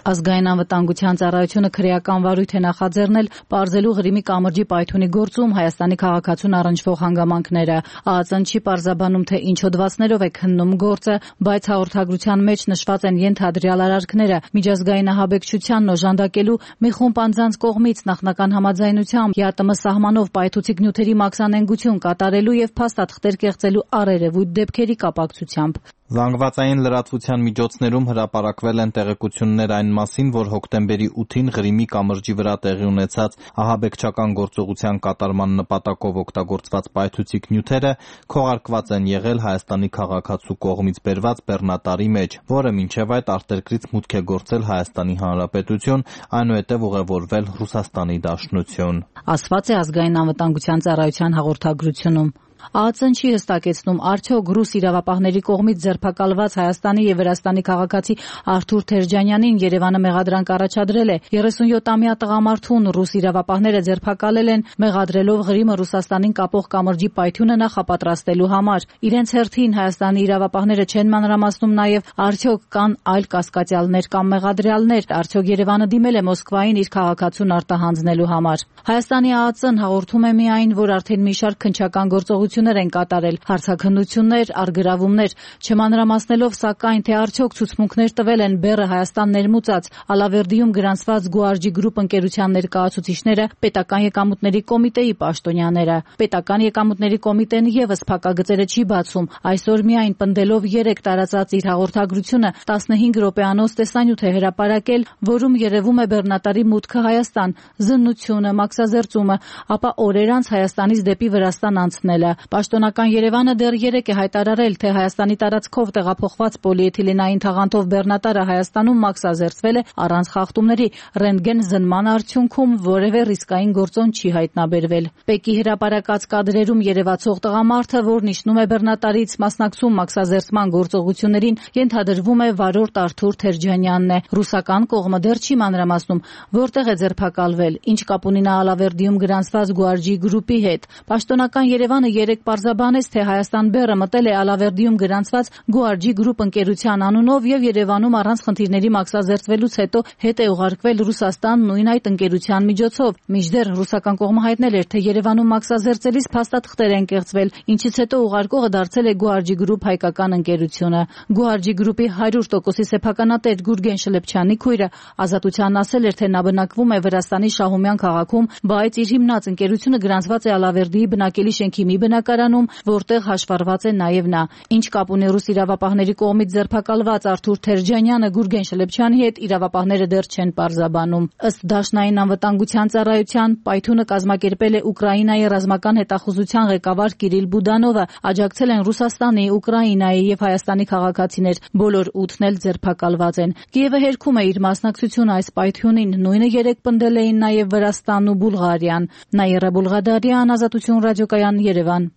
Ազգային անվտանգության ծառայությունը քրեական վարույթ է նախաձեռնել պարզելու Ղրիմի կամրջի պայթյունի գործում Հայաստանի քաղաքացուն առնչվող հանգամանքները։ ԱԱԾ-ն չի պարզաբանում, թե ինչ հոդվածներով է քննում գործը, բայց հաղորդագրության մեջ նշված են ենթադրյալ արարքները՝ միջազգային ահաբեկչությանն օժանդակելու մի խումբ անձանց կողմից նախնական համաձայնությամբ ԵԱՏՄ սահմանով պայթուցիկ նյութերի մաքսանենգություն կատարելու եւ փաստաթղթեր կեղծելու առերևույթ դեպքերի կապակցությամբ։ Զանգվածային լրատվության միջոցներում հրապարակվել են տեղեկություններ այն մասին, որ հոկտեմբերի 8-ին Ղրիմի կամրջի վրա տեղի ունեցած ահաբեկչական գործողության կատարման նպատակով օգտագործված պայթուցիկ նյութերը քողարկված են եղել Հայաստանի քաղաքացու կողմից բերված բեռնատարի մեջ, որը մինչև այդ արտերկրից մուտք է գործել Հայաստանի Հանրապետություն, այնուհետև ուղևորվել Ռուսաստանի Դաշնություն։ Ասված է Ազգային անվտանգության ծառայության հաղորդագրությունում։ ԱԱԾ-ն չի հստակեցնում, արդյոք ռուս իրավապահների կողմից ձերբակալված Հայաստանի եւ Վրաստանի քաղաքացի Արթուր Թերջանյանին Երևանը մեղադրանք առաջադրել է։ 37-ամյա տղամարդուն ռուս իրավապահները ձերբակալել են, մեղադրելով Ղրիմը Ռուսաստանին կապող կամրջի պայթյունը նախապատրաստելու համար։ Իրենց հերթին Հայաստանի իրավապահները չեն մանրամասնում նաեւ, արդյոք կան այլ կասկածյալներ կամ մեղադրյալներ, արդյոք Երևանը դիմել է Մոսկվային իր քաղաքացուն արտահանձնելու համար։ Հայաստանի ԱԱԾ-ն հաղորդում է միայն, որ արդեն մի շարք քննչական գործողություններ են կատարել, հարցաքննություններ, առգրավումներ, չմանրամասնելով սակայն, թե արդյոք ցուցմունքներ տվել են բեռը Հայաստան ներմուծած Ալավերդիում գրանցված Գուարջի գրուպ ընկերության ներկայացուցիչները, պետական եկամուտների կոմիտեի պաշտոնյաները։ Պետական եկամուտների կոմիտեն եւս փակագծերը չի բացում, այսօր միայն պնդելով 3 տարածած իր հաղորդագրությունը 15 րոպեանոց տեսանյութ է հրապարակել, որում երևում է բեռնատարի մուտքը Հայաստան, զննությունը, մաքսազերծումը, ապա օրեր անց Հայաստանից դեպի Վրաստան անցնելը։ Պաշտոնական Երևանը դեռ 3 է հայտարարել, թե Հայաստանի տարածքով տեղափոխված պոլիէթիլենային թաղանթով բեռնատարը Հայաստանում մաքսազերծվել է առանց խախտումների, ռենտգեն զննման արդյունքում որևէ ռիսկային գործոն չի հայտնաբերվել։ ՊԵԿ-ի հրապարակած կադրերում երևացող տղամարդը, որն իջնում է բեռնատարից, մասնակցում մաքսազերծման գործողություններին, ենթադրվում է վարորդ Արթուր Թերջանյանն է։ Ռուսական կողմը դեռ չի մանրամասնում, որտեղ է ձերբակալվել, ինչ կապ ունի նա Ալավերդիում գրանցված Գուարջի գրուպի հետ։ Պաշտոնական Երևանը 3 պարզաբանեց, թե Հայաստան բեռը մտել է Ալավերդիում գրանցված Գուարջի գրուպ ընկերության անունով եւ Երևանում առանց խնդիրների մաքսազերծվելուց հետո հետ է ուղարկվել Ռուսաստան նույն այդ ընկերության միջոցով։ Մինչդեռ ռուսական կողմը հայտնել էր, թե Երևանում մաքսազերծելիս փաստաթղթեր են կեղծվել, ինչից հետո ուղարկողը դարձել է Գուարջի գրուպ հայկական ընկերությունը։ Գուարջի գրուպի 100% սեփականատեր Գուրգեն Շլեփչյանի քույրը Ազատությանն ասել էր, թե նա բնակվում է Վրաստանի Շահումյան քաղաքում, բայց իր հիմնած ընկերությունը գրանցված է Ալավերդիի բնակելի շենքի մի բնակարանում, որտեղ հաշվառված է նաև նա։ Ինչ կապ ունի ռուս իրավապահների կողմից ձերբակալված Արթուր Թերջանյանը Գուրգեն Շլեփչյանի հետ, իրավապահները դեռ չեն պարզաբանում։ Ըստ Դաշնային անվտանգության ծառայության, պայթյունը կազմակերպել է Ուկրաինայի ռազմական հետախուզության ղեկավար Կիրիլ Բուդանովը, աջակցել են Ռուսաստանի, Ուկրաինայի եւ Հայաստանի քաղաքացիներ, բոլոր 8-ն էլ ձերբակալված են։ Կիևը հերքում է իր մասնակցությունը այս պայթյունին, նույնը 3 պնդել էին նաև Վրաստանն ու Բուլղարիան։ Նաիրա Բուլղադարյան, Ազատություն ռադիոկայան, Երևան։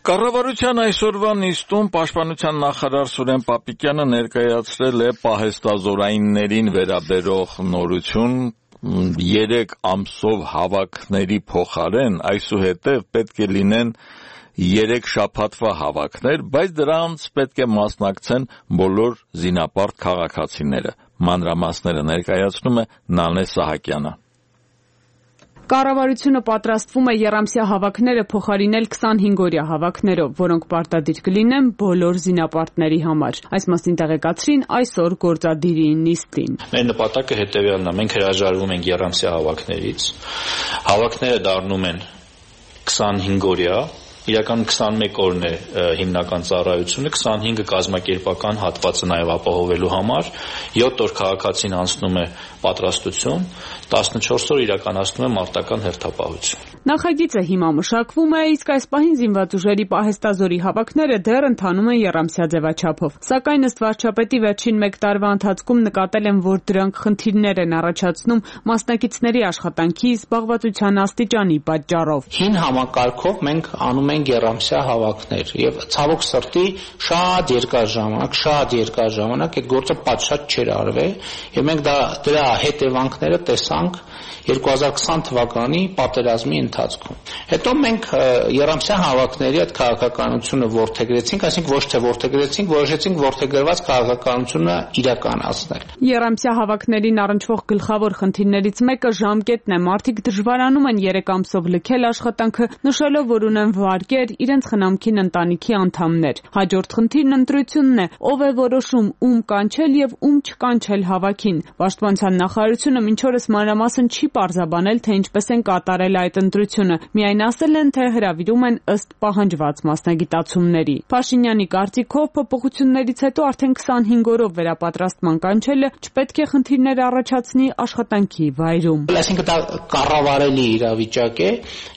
Կառավարության այսօրվա նիստում պաշտպանության նախարար Սուրեն Պապիկյանը ներկայացրել է պահեստազորայիններին վերաբերող նորություն 3 ամսով հավաքների փոխարեն այսուհետև պետք է լինեն 3 շաբաթվա հավաքներ, բայց դրանց պետք է մասնակցեն բոլոր զինապարտ քաղաքացիները։ Մանրամասները ներկայացնում է Նանե Սահակյանը։ Կառավարությունը պատրաստվում է եռամսյա հավաքները փոխարինել 25-օրյա հավաքներով, որոնք պարտադիր կլինեն բոլոր զինապարտների համար։ Այս մասին տեղեկացրին այսօր գործադիրի նիստին։ Մեր նպատակը հետևյալն է. մենք հրաժարվում ենք եռամսյա հավաքներից։ Հավաքները դառնում են 25-օրյա, իրականում 21 օրն է հիմնական ծառայությունը, 25-ը կազմակերպական հատվածը նաև ապահովելու համար, 7 օր քաղաքացին անցնում է պատրաստություն, 14 օր իրականացնում է մարտական հերթապահություն։ Նախագիծը հիմա մշակվում է, իսկ այս պահին զինված ուժերի պահեստազորի հավաքները դեռ ընթանում են եռամսյա ձևաչափով։ Սակայն ըստ վարչապետի վերջին 1 տարվա ընթացքում նկատել են, որ դրանք խնդիրներ են առաջացնում մասնակիցների աշխատանքի, զբաղվածության աստիճանի պատճառով։ Հին համակարգով մենք անում ենք եռամսյա հավաքներ եւ ցավոք սրտի շատ երկար ժամանակ այդ գործը պատշաճ չէր արվել եւ մենք դրա հետևանքները տեսանք 2020 թվականի պատերազմի ընթացքում։ Հետո մենք եռամսյա հավաքների այդ քաղաքականությունը ворթեգրեցինք, այսինքն ոչ թե ворթեգրեցինք, որոշեցինք ворթեգրված քաղաքականությունը իրականացնել։ Եռամսյա հավաքներին առնչվող գլխավոր խնդիրներից մեկը ժամկետն է։ Մարդիկ դժվարանում են 3 ամսով լքել աշխատանքը, նշելով, որ ունեն վառ ուղարկեր իրենց խնամքին ընտանիքի անդամներ։ Հաջորդ խնդիրն ընտրությունն է, ով է որոշում ում կանչել եւ ում չկանչել հավաքին։ Պաշտպանության նախարարությունը մինչ օրս մանրամասն չի պարզաբանել, թե ինչպես են կատարել այդ ընտրությունը։ Միայն ասել են, թե հրավիրում են ըստ պահանջված մասնագիտացումների։ Փաշինյանի կարծիքով փոփոխություններից հետո արդեն 25 օրով վերապատրաստման կանչելը չպետք է խնդիրներ առաջացնի աշխատանքի վայրում։ Այսինքն դա կառավարելի իրավիճակ է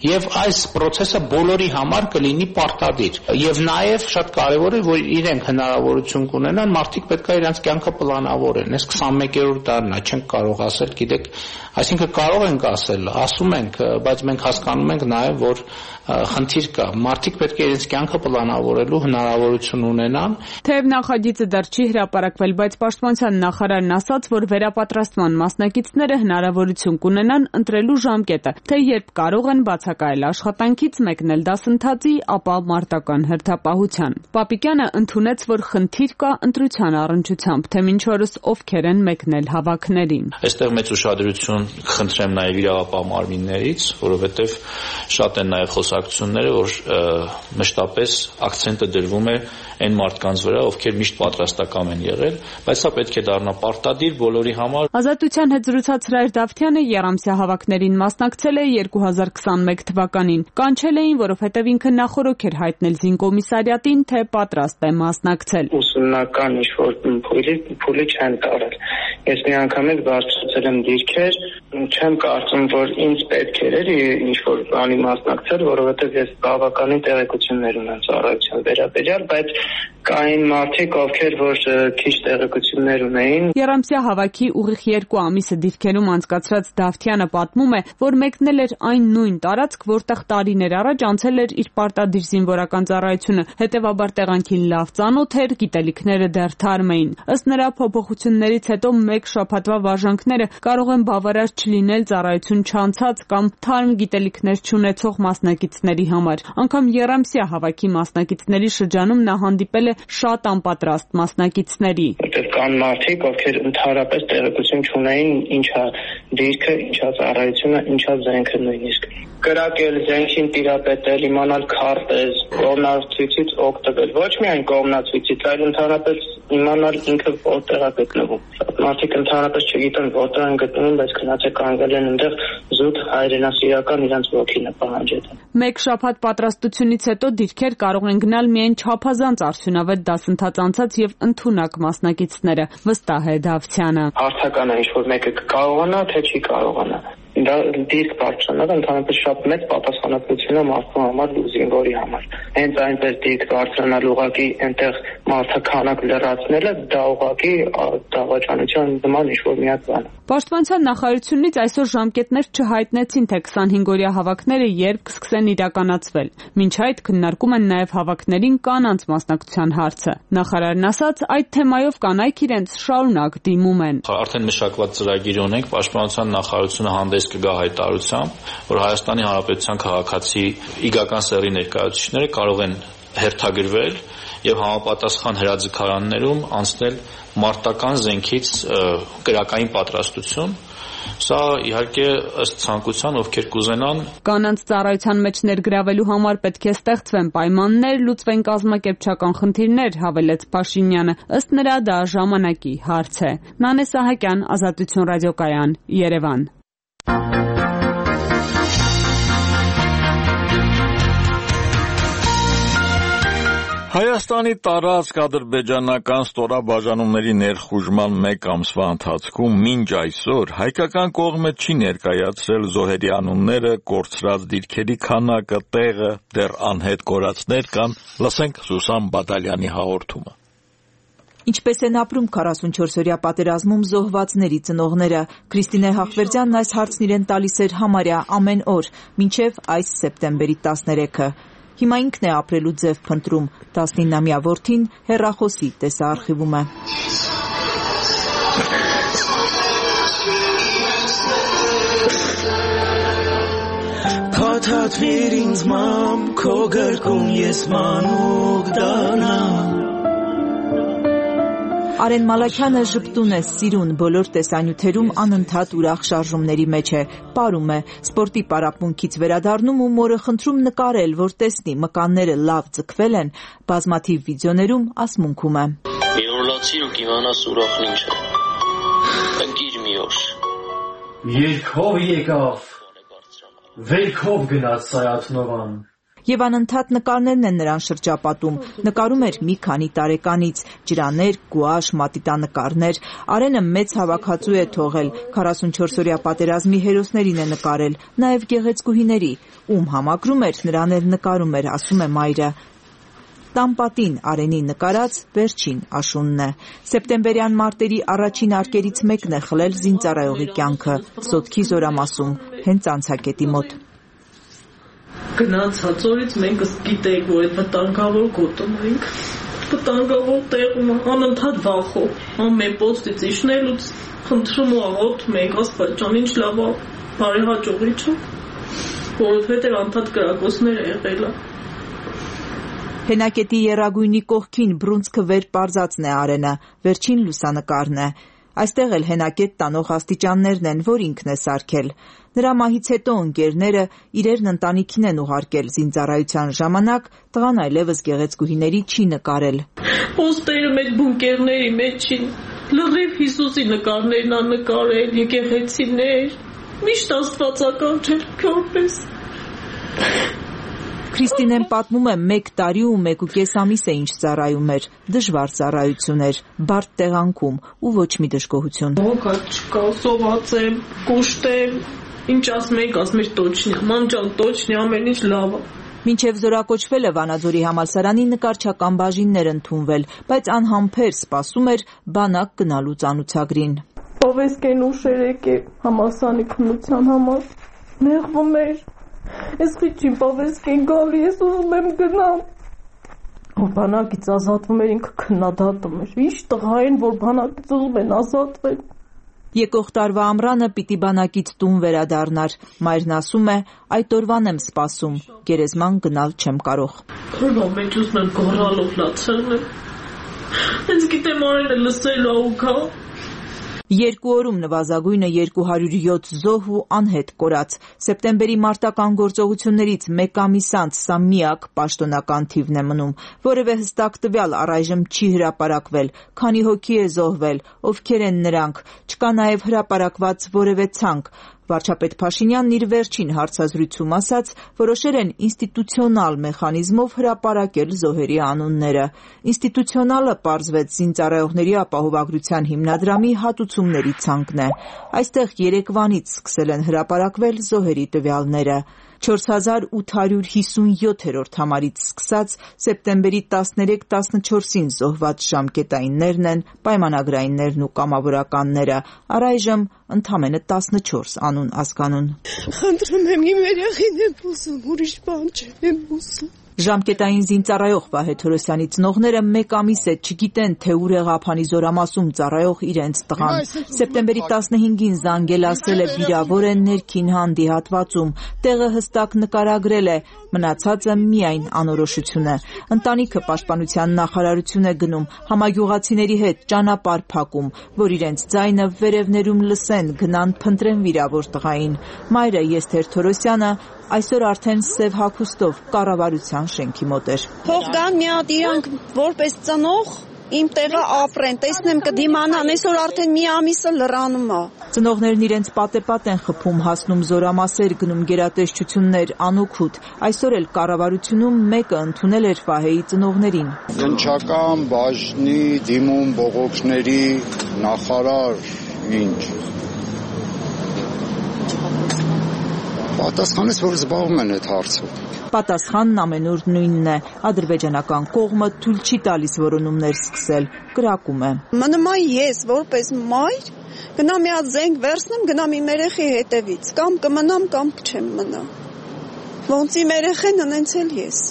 եւ այս process-ը բոլորի համար կլինի պարտադիր։ Եվ նաեւ շատ կարեւոր է, որ իրենք հնարավորություն կունենան, մարդիկ պետք է իրենց կյանքը պլանավորեն։ Այս 21-րդ տարին է, չենք կարող ասել, գիտեք, այսինքն կարող ենք ասել, ասում ենք, բայց մենք հասկանում ենք նաեւ, որ խնդիր կա։ Մարդիկ պետք է իրենց կյանքը պլանավորելու հնարավորություն ունենան։ Թեև նախագիծը դեռ չի հրապարակվել, բայց Պաշտպանության նախարարն ասաց, որ վերապատրաստման մասնակիցները հնարավորություն կունենան ընտրելու ժամկետը, թե երբ կարող են բացակայել աշխատանքից, մեկնել դասընթացի, ապա մարտական հերթապահության։ Պապիկյանը ընդունեց, որ խնդիր կա ընտրության առնչությամբ, թե մինչ օրս ովքեր են մեկնել հավաքներին։ Այստեղ մեծ ուշադրություն խնդրեմ նաև իրավապահ մարմիններից, որովհետև շատ են նաև խոսակցությունները, որ մշտապես ակցենտը դրվում է այն մարդկանց վրա, ովքեր միշտ պատրաստական են եղել, բայց սա պետք է դառնա պարտադիր բոլորի համար։ Ազատության հետ զրուցած Հրայր Դավթյանը եռամսյա հավաքներին մասնակցել է 2021 թվականին։ Կանչել էին, որովհետև ինքը նախօրոք էր հայտնել զինկոմիսարիատին, թե պատրաստ է մասնակցել։ Ուսումնական ինչ-որ փուլի չեն տարել։ Ես մի անգամից բարձրացել եմ դիրքեր, չեմ կարծում, որ ինձ պետք էր ինչ-որ բանի մասնակցել, որովհետև ես բավականին տեղեկություններ ունեմ ծառայության վերաբերյալ, բայց կային մարդիկ, ովքեր որ քիչ տեղեկություններ ունեին։ Եռամսյա հավաքի ուղիղ 2 ամիսը դիրքերում անցկացրած Դավթյանը պատմում է, որ մեկնել էր այն նույն տարածք, որտեղ տարիներ առաջ անցել էր իր պարտադիր զինվորական ծառայությունը, հետևաբար տեղանքին լավ ծանոթ էր, գիտելիքները դեռ թարմ էին։ Ըստ նրա, փոփոխություններից հետո մեկ շաբաթվա վարժանքները կարող են բավարար չլինել ծառայություն չանցած կամ թարմ գիտելիքներ չունեցող մասնակիցների համար։ Անգամ եռամսյա հավաքի մասնակիցների շրջանում նա հանդիպել է շատ անպատրաստ մասնակիցների։ Որտեղ կան մարդիկ, ովքեր ընդհանրապես տեղեկություն չունեին ինչա դիրքը, ինչա ծառայությունը, ինչա զենքը նույնիսկ։ Կրակել, զենքին տիրապետել, իմանալ քարտեզ, կողմնացույցից օգտվել, ոչ միայն կողմնացույցից, այլ ընդհանրապես իմանալ ինքը որտեղ է գտնվում։ Մարդիկ ընդհանրապես չգիտեն որտեղ են գտնվում, բայց գնացել կանգնել են այնտեղ զուտ հայրենասիրական իրենց ոգին է պահանջել։ Մեկ շաբաթ պատրաստությունից հետո դիրքեր կարող են գնալ միայն չափազանց արդյունավետ դասընթաց անցած եւ ընդունակ մասնակիցները, վստահ է Դավթյանը։ Հարցական է, ինչ որ մեկը կարողանա, թե չի կարողանա։ Դա դիրք բարձրանալը ընդհանրապես շատ մեծ պատասխանատվություն է մարդու համար ու զինվորի համար։ Հենց այնպես դիրք բարձրանալ ուղղակի այնտեղ մարդը քանակ լրացնելը դա ուղղակի դավաճանության նման ինչ-որ մի հատ բան է։ Պաշտպանության նախարարությունից այսօր ժամկետներ չհայտնեցին, թե 25-օրյա հավաքները երբ կսկսեն իրականացվել։ Մինչ այդ քննարկում են նաև հավաքներին կանանց մասնակցության հարցը։ Նախարարն ասաց, այդ թեմայով կանայք իրենց շարունակ դիմում են։ Արդեն մշակված ծրագիր ունենք, Պաշտպանության նախարարությունը հանդես կգա հայտարարությամբ, որ Հայաստանի Հանրապետության քաղաքացի իգական սեռի ներկայացուցիչները կարող են հերթագրվել եւ համապատասխան հրաձգարաններում անցնել մարտական զենքից կրակային պատրաստություն։ Սա իհարկե ըստ ցանկության ովքեր կուզենան։ Կանանց ծառայության մեջ ներգրավելու համար պետք է ստեղծվեն պայմաններ, լուծվեն կազմակերպչական խնդիրներ, հավելեց Փաշինյանը։ Ըստ նրա դա ժամանակի հարց է։ Նանե Սահակյան, Ազատություն ռադիոկայան, Երևան։ Հայաստանի տարածք ադրբեջանական ստորաբաժանումների ներխուժման մեկ ամսվա ընթացքում մինչ այսօր հայկական կողմը չի ներկայացրել զոհերի անունները, կորցրած դիրքերի քանակը, տեղը, դեռ անհետ կորածներ կան, լսենք Սուսան Բադալյանի հաղորդումը։ Ինչպես են ապրում 44-օրյա պատերազմում զոհվածների ծնողները։ Քրիստինե Հախվերդյանն այս հարցն իրեն տալիս էր համարյա ամեն օր, մինչև այս սեպտեմբերի 13-ը։ Հիմա ինքն է ապրելու ձև փնտրում, 19-ամյա որդին հեռախոսի տեսաարխիվում է։ Փաթաթվիր ինձ մամ, քո գրկում ես մանուկ դառնամ, Արեն Մալաքյանը ժպտուն է, սիրուն, բոլոր տեսանյութերում անընդհատ ուրախ շարժումների մեջ է, պարում է, սպորտի պարապմունքից վերադառնում ու մորը խնդրում նկարել, որ տեսնի մկանները լավ ձգվել են, բազմաթիվ վիդեոներում ասմունքում է։ Մի օր լացիր ու կիմանաս ուրախն ինչ է։ Ընկիր մի օր։ Երկով եկավ, վերքով գնաց Սայաթնովան։ Եվ անընդհատ նկարներն են նրան շրջապատում, նկարում էր մի քանի տարեկանից, ջրաներ, գուաշ, մատիտանկարներ, Արենը մեծ հավաքածու է թողել, 44-օրյա պատերազմի հերոսներին է նկարել, նաև գեղեցկուհիների, ում համակրում էր, նրան էլ նկարում էր, ասում է մայրը։ Տամպատին Արենի նկարած վերջին աշունն է։ Սեպտեմբերյան մարտերի առաջին արկերից մեկն է խլել զինծառայողի կյանքը, Սոտքի զորամասում, հենց անցակետի մոտ։ Գնացած օրից մենք գիտենք, որ այդ վտանգավոր գոտում ենք, վտանգավոր տեղում անընդհատ վախով, ամեն պոստից իջնելուց խնդրում ու աղոթում ենք, Աստված ջան, ինչ լավ է, բարեհաջողի չէ, որովհետև անդադ կրակոցներ է եղել։ Հենակետի եռագույնի կողքին բռունցքը վեր պարզածն է Արենը, վերջին լուսանկարն է։ Այստեղ էլ հենակետ տանող աստիճաններն են, որ ինքն է սարքել։ Նրա մահից հետո ընկերները իրերն ընտանիքին են ուղարկել զինծառայության ժամանակ, տղան այլևս գեղեցկուհիների չի նկարել։ Պոստերը մեր բունկերների մեջին, լրիվ Հիսուսի նկարներն ա նկարել, եկեղեցիներ, միշտ աստվածակարգ որպես։ Քրիստինեն պատմում է 1 տարի ու 1.5 ամիս է ինչ ծառայում էր, դժվար ծառայություն էր, բարդ տեղանքում ու ոչ մի դժգոհություն։ Ոգա չկա, սոված եմ, կուշտ եմ, ինչ ասում եք, ասում եք տոչնյա, մանջան տոչնյա, ամեն ինչ լավ է։ Մինչև զորակոչվել է Վանաձորի համալսարանի նկարչական բաժիններ ընդունվել, բայց անհամբեր սպասում էր բանակ գնալու ծանուցագրին։ Պովեսկեն ուշեր եկե համալսարանի քննության համար, նեղվում էր։ Ես քիչ պովեսկեն գալի, ես ուզում եմ գնամ։ Որ բանակից ազատվում էր, ինքը քննադատում էր։ Ինչ տղա են, որ բանակից ուզում են ազատվել։ Եկող տարվա ամռանը պիտի բանակից տուն վերադառնար։ Մայրն ասում է, այդ օրվան եմ սպասում, գերեզման գնալ չեմ կարող։ Քրվա մեջ ուզում եմ գոռալով լացել։ Հենց գիտեմ Արենը լսելու ու գա։ 2 օրում նվազագույնը 207 զոհ ու անհետ կորած։ Սեպտեմբերի մարտական գործողություններից 1 ամիս անց սա միակ պաշտոնական թիվն է մնում։ Որևէ հստակ տվյալ առայժմ չի հրապարակվել, քանի հոգի է զոհվել, ովքեր են նրանք, չկա նաև հրապարակված որևէ ցանկ։ Վարչապետ Փաշինյանն իր վերջին հարցազրույցում ասաց, որոշել են ինստիտուցիոնալ մեխանիզմով հրապարակել զոհերի անունները։ Ինստիտուցիոնալը պարզվեց զինծառայողների ապահովագրության հիմնադրամի հատուցումների ցանկն է։ Այստեղ երեկվանից սկսել են հրապարակվել զոհերի տվյալները։ 4857-րդ համարից սկսած սեպտեմբերի 13-14-ին զոհված ժամկետայիններն են, պայմանագրայիններն ու կամավորականները, առայժմ ընդամենը 14 անուն ազգանուն։ Խնդրում եմ, իմ երեխին եմ ուզում, ուրիշ բան չեմ ուզում։ Ժամկետային զինծառայող Վահե Թորոսյանի ծնողները 1 ամիս է չգիտեն, թե ուր է Ղափանի զորամասում ծառայող իրենց տղան։ Սեպտեմբերի 15-ին զանգել ասել է վիրավոր է ներքին հանդի հատվածում, տեղը հստակ նկարագրել է, մնացածը միայն անորոշություն է։ Ընտանիքը պաշտպանության նախարարություն է գնում, համագյուղացիների հետ ճանապարհ փակում, որ իրենց ձայնը վերևներում լսեն, գնան փնտրեն վիրավոր տղային։ Մայրը Եսթեր Թորոսյանը այսօր արդեն սև հագուստով կառավարության շենքի մոտ էր։ Թող գան մի հատ իրանք որպես ծնող իմ տեղը ապրեն, տեսնեմ կդիմանան, այսօր արդեն մի ամիսը լրանում է։ Ծնողներն իրենց պատեպատ են խփում, հասնում զորամասեր, գնում գերատեսչություններ, անօգուտ։ Այսօր էլ կառավարությունում մեկը ընդունել էր Վահեի ծնողներին։ Կնչական բաժնի դիմում բողոքների նախարար ինչ։ Պատասխանեց, որ զբաղվում են այդ հարցով։ Պատասխանն ամենուր նույնն է։ Ադրբեջանական կողմը թույլ չի տալիս որոնումներ սկսել, կրակում է։ Մնում եմ ես որպես մայր, գնամ մի հատ զենք վերցնեմ, գնամ իմ երեխի հետևից, կամ կմնամ, կամ չեմ մնա։ Ոնց իմ երեխեն անցել ես։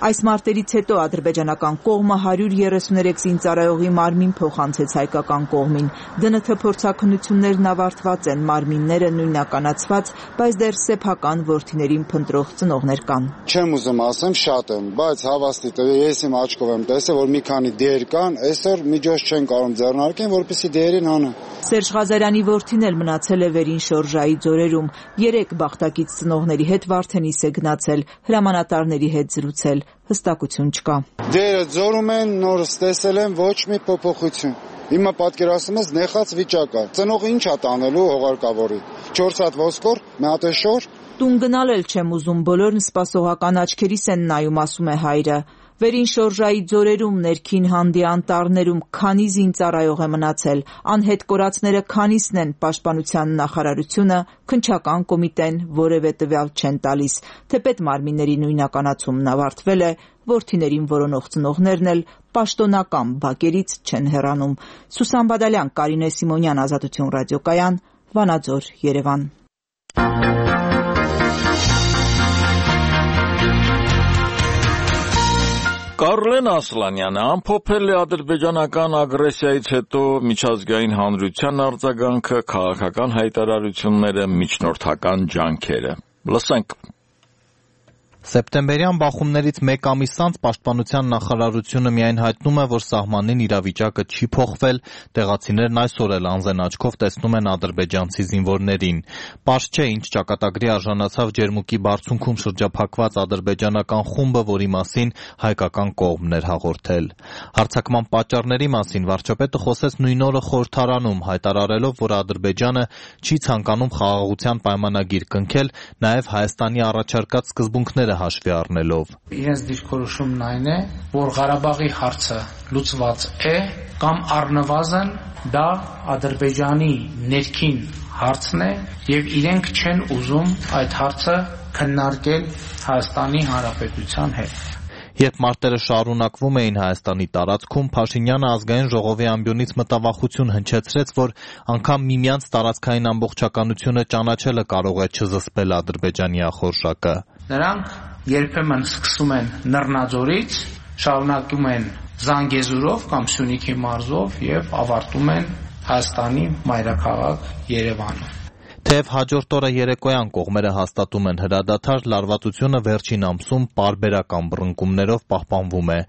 Այս մարտերից հետո ադրբեջանական կողմը 133 զինծառայողի մարմին փոխանցեց հայկական կողմին։ ԴՆԹ փորձաքննություններն ավարտված են, մարմինները նույնականացված, բայց դեռ սեփական որդիներին փնտրող ծնողներ կան։ Չեմ ուզում ասեմ, շատ եմ, բայց հավաստի ես իմ աչքով եմ տեսել, որ մի քանի դեր կան, այսօր միջոց չեն կարող ձեռնարկեն, որպեսզի դերին հանեն։ Սերժ Ղազարյանի որդին էլ մնացել է վերին շորժայի ձորերում։ 3 բախտակից ծնողների հետ Վարդենիս է գնացել, հրամանատարների հետ զրուցել, հստակություն չկա։ Դերը ձորում են, նորս տեսել են, ոչ մի փոփոխություն։ Հիմա պատկերացնում ես նեխած վիճակ է։ Ծնողը ինչ է տանելու հողարկավորի։ 4 հատ ոսկոր, մի հատ շոր։ Տուն գնալ էլ չեմ ուզում, բոլորն սպասողական աչքերիս են նայում, ասում է հայրը։ Վերին շորժայի ձորերում, ներքին հանդի անտառներում քանի զինծառայող է մնացել, անհետ կորածները քանիսն են, պաշտպանության նախարարությունը, քննչական կոմիտեն որևէ տվյալ չեն տալիս, թեպետ մարմինների նույնականացումն ավարտվել է, որդիներին որոնող ծնողներն էլ պաշտոնական բակերից չեն հեռանում։ Սուսան Բադալյան, Կարինե Սիմոնյան, Ազատություն ռադիոկայան, Վանաձոր, Երևան։ Կարլեն Ասլանյանը ամփոփել է ադրբեջանական ագրեսիայից հետո միջազգային հանրության արձագանքը, քաղաքական հայտարարությունները, միջնորդական ջանքերը։ Լսենք։ Սեպտեմբերյան բախումներից մեկ ամիս անց Պաշտպանության նախարարությունը միայն հայտնում է, որ սահմանին իրավիճակը չի փոխվել, տեղացիներն այսօր էլ անզեն աչքով տեսնում են ադրբեջանցի զինվորներին։ Պարզ չէ, ինչ ճակատագրի արժանացավ Ջերմուկի բարձունքում շրջափակված ադրբեջանական խումբը, որի մասին հայկական կողմն էր հաղորդել։ Հարձակման պատճառների մասին վարչապետը խոսեց նույն օրը խորհրդարանում, հայտարարելով, որ Ադրբեջանը չի ցանկանում խաղաղության պայմանագիր կնքել, նաև Հայաստանի առաջարկած սկզբունքները հաշվի առնելով։ Իրենց դիրքորոշումն այն է, որ Ղարաբաղի հարցը լուծված է կամ առնվազն դա Ադրբեջանի ներքին հարցն է եւ իրենք չեն ուզում այդ հարցը քննարկել Հայաստանի Հանրապետության հետ։ Երբ մարտերը շարունակվում էին Հայաստանի տարածքում, Փաշինյանը ազգային ժողովի ամբիոնից մտավախություն հնչեցրեց, որ անգամ միմյանց տարածքային ամբողջականությունը ճանաչելը կարող է չզսպել Ադրբեջանի ախորժակը։ Նրանք երբեմն սկսում են Նռնաձորից, շարունակում են Զանգեզուրով կամ Սյունիքի մարզով եւ ավարտում են Հայաստանի մայրաքաղաք Երևանում։ Թեև հաջորդ օրը երեկոյան կողմերը հաստատում են հրադադար, լարվածությունը վերջին ամսում պարբերական բռնկումներով պահպանվում է։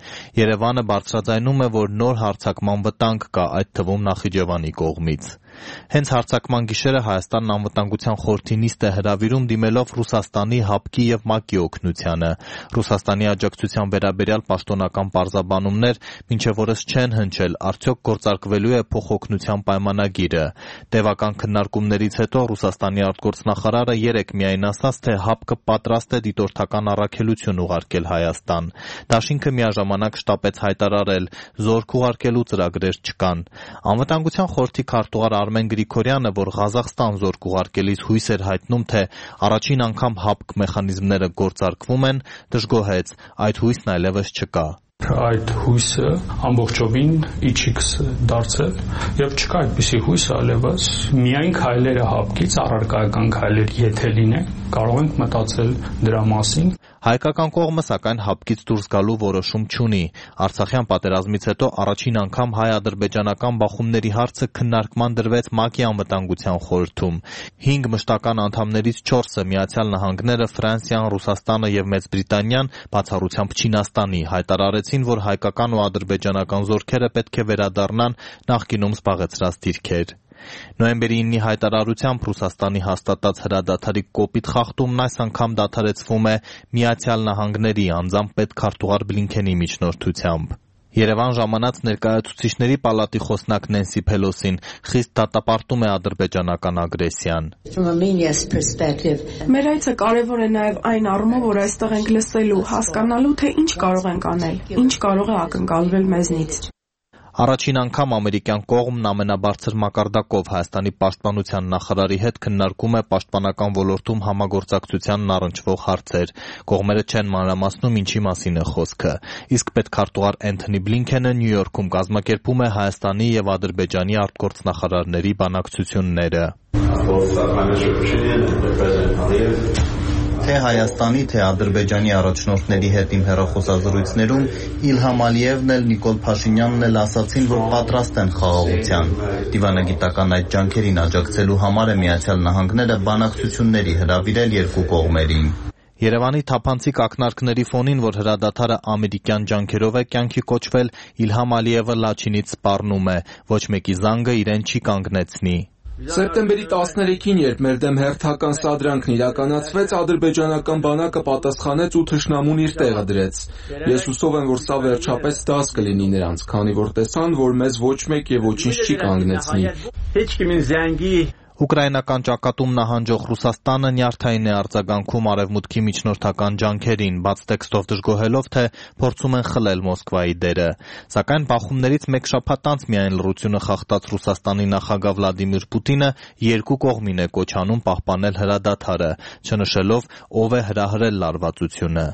Երևանը բարձրաձայնում է, որ նոր հարձակման վտանգ կա, այդ թվում Նախիջևանի կողմից։ Հենց հարձակման գիշերը Հայաստանն անվտանգության խորհրդի նիստ է հրավիրում դիմելով Ռուսաստանի, ՀԱՊԿ-ի եւ ՄԱԿ-ի օգնությանը։ Ռուսաստանի աջակցության վերաբերյալ պաշտոնական պարզաբանումներ մինչև օրս չեն հնչել, արդյոք գործարկվելու է փոխօգնության պայմանագիրը։ Տևական քննարկումներից հետո Ռուսաստանի արտգործնախարարը երեկ միայն ասաց, թե ՀԱՊԿ-ը պատրաստ է դիտորդական առաքելություն ուղարկել Հայաստան։ Դաշինքը միաժամանակ շտապեց հայտարարել, զորք ուղարկելու ծրագրեր չկան։ Անվտանգության խորհրդի քարտուղար Արմեն Գրիգորյանը, որ Ղազախստան զորք ուղարկելիս հույս էր հայտնում, թե առաջին անգամ ՀԱՊԿ մեխանիզմները գործարկվում են, դժգոհեց, այդ հույսն այլևս չկա։ Այդ հույսը ամբողջովին իջիքս դարձել եւ չկա այդպիսի հույս այլևս միայն քայլերը ՀԱՊԿ-ից առարկայական քայլեր եթե լինեն կարող ենք մտածել դրա մասին։ Հայկական կողմը սակայն ՀԱՊԿ-ից դուրս գալու որոշում չունի։ Արցախյան պատերազմից հետո առաջին անգամ հայ-ադրբեջանական բախումների հարցը քննարկման դրվեց ՄԱԿ-ի անվտանգության խորհրդում։ 5 մշտական անդամներից 4-ը Միացյալ Նահանգները, Ֆրանսիան, Ռուսաստանը եւ Մեծ Բրիտանիան, բացառությամբ Չինաստանի, հայտարարեցին, որ հայկական ու ադրբեջանական զորքերը պետք է վերադառնան նախկինում զբաղեցրած դիրքեր։ Նոյեմբերի 9-ի հայտարարությամբ Ռուսաստանի հաստատած հրադադարի կոպիտ խախտումն այս անգամ դադարեցվում է Միացյալ Նահանգների անձամբ պետքարտուղար Բլինքենի միջնորդությամբ։ Երևան ժամանած ներկայացուցիչների պալատի խոսնակ Նենսի Փելոսին խիստ դատապարտում է ադրբեջանական ագրեսիան։ Մեր այցը կարևոր է նաև այն առումով, որ այստեղ ենք լսելու, հասկանալու, թե ինչ կարող ենք անել, ինչ կարող է ակնկալվել մեզնից։ Առաջին անգամ ամերիկյան կողմն ամենաբարձր մակարդակով Հայաստանի պաշտպանության նախարարի հետ քննարկում է պաշտպանական ոլորտում համագործակցությանն առնչվող հարցեր։ Կողմերը չեն մանրամասնում ինչի մասին է խոսքը։ Իսկ պետքարտուղար Էնթոնի Բլինքենը Նյու Յորքում կազմակերպում է Հայաստանի եւ Ադրբեջանի արտգործնախարարների բանակցությունները։ Թե Հայաստանի, թե Ադրբեջանի առաջնորդների հետ իմ հեռախոսազրույցներում Իլհամ Ալիևն էլ, Նիկոլ Փաշինյանն էլ ասացին, որ պատրաստ են խաղաղության։ Դիվանագիտական այդ ջանքերին աջակցելու համար է Միացյալ Նահանգները բանակցությունների հրավիրել երկու կողմերին։ Երևանի թափանցիկ ակնարկների ֆոնին, որ հրադադարը ամերիկյան ջանքերով է կյանքի կոչվել, Իլհամ Ալիևը Լաչինից սպառնում է. ոչ մեկի զանգը իրեն չի կանգնեցնի։ Սեպտեմբերի 13-ին, երբ մեր դեմ հերթական սադրանքն իրականացվեց, ադրբեջանական բանակը պատասխանեց ու թշնամուն իր տեղը դրեց։ Ես հուսով եմ, որ սա վերջապես դաս կլինի նրանց, քանի որ տեսան, որ մեզ ոչ մեկ եւ ոչինչ չի կանգնեցնի։ Ուկրաինական ճակատում նահանջող Ռուսաստանը նյարդային է արձագանքում արևմուտքի միջնորդական ջանքերին, բաց տեքստով դժգոհելով, թե փորձում են խլել Մոսկվայի դերը։ Սակայն բախումներից մեկ շաբաթ անց միայն լռությունը խախտած Ռուսաստանի նախագահ Վլադիմիր Պուտինը երկու կողմին է կոչ անում պահպանել հրադադարը, չնշելով ով է հրահրել լարվածությունը։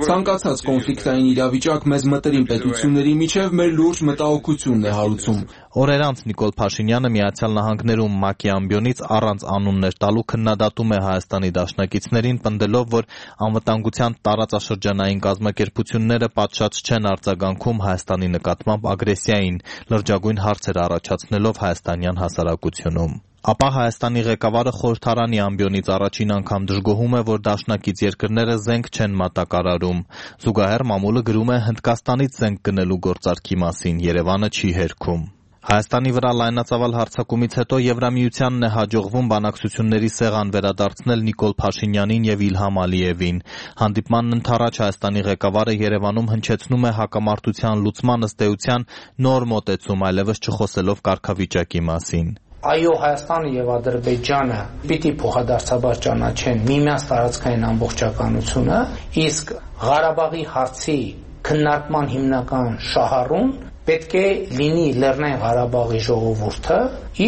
Ցանկացած կոնֆլիկտային իրավիճակ մեզ մտերիմ պետությունների միջև մեր լուրջ մտահոգությունն է հարուցում։ Օրեր անց Նիկոլ Փաշինյանը Միացյալ Նահանգներում ՄԱԿ-ի ամբիոնից առանց անուններ տալու քննադատում է Հայաստանի դաշնակիցներին, պնդելով, որ անվտանգության տարածաշրջանային կազմակերպությունները պատշաճ չեն արձագանքում Հայաստանի նկատմամբ ագրեսիային, լրջագույն հարցեր առաջացնելով հայաստանյան հասարակությունում։ Ապա Հայաստանի ղեկավարը խորհրդարանի ամբիոնից առաջին անգամ դժգոհում է, որ դաշնակից երկրները զենք չեն մատակարարում։ Զուգահեռ մամուլը գրում է Հնդկաստանից զենք գնելու գործարքի մասին, Երևանը չի հերքում։ Հայաստանի վրա լայնածավալ հարձակումից հետո Եվրամիությանն է հաջողվում բանակցությունների սեղան վերադարձնել Նիկոլ Փաշինյանին եւ Իլհամ Ալիևին։ Հանդիպմանն ընդառաջ Հայաստանի ղեկավարը Երևանում հնչեցնում է հակամարտության լուծման ըստ էության նոր մոտեցում, այլևս չխոսելով կարգավիճակի մասին։ Այո, Հայաստանը եւ Ադրբեջանը պիտի փոխադարձաբար ճանաչեն միմյանց տարածքային ամբողջականությունը, իսկ Ղարաբաղի հարցի քննարկման հիմնական շահառուն պետք է լինի Լեռնային Ղարաբաղի ժողովուրդը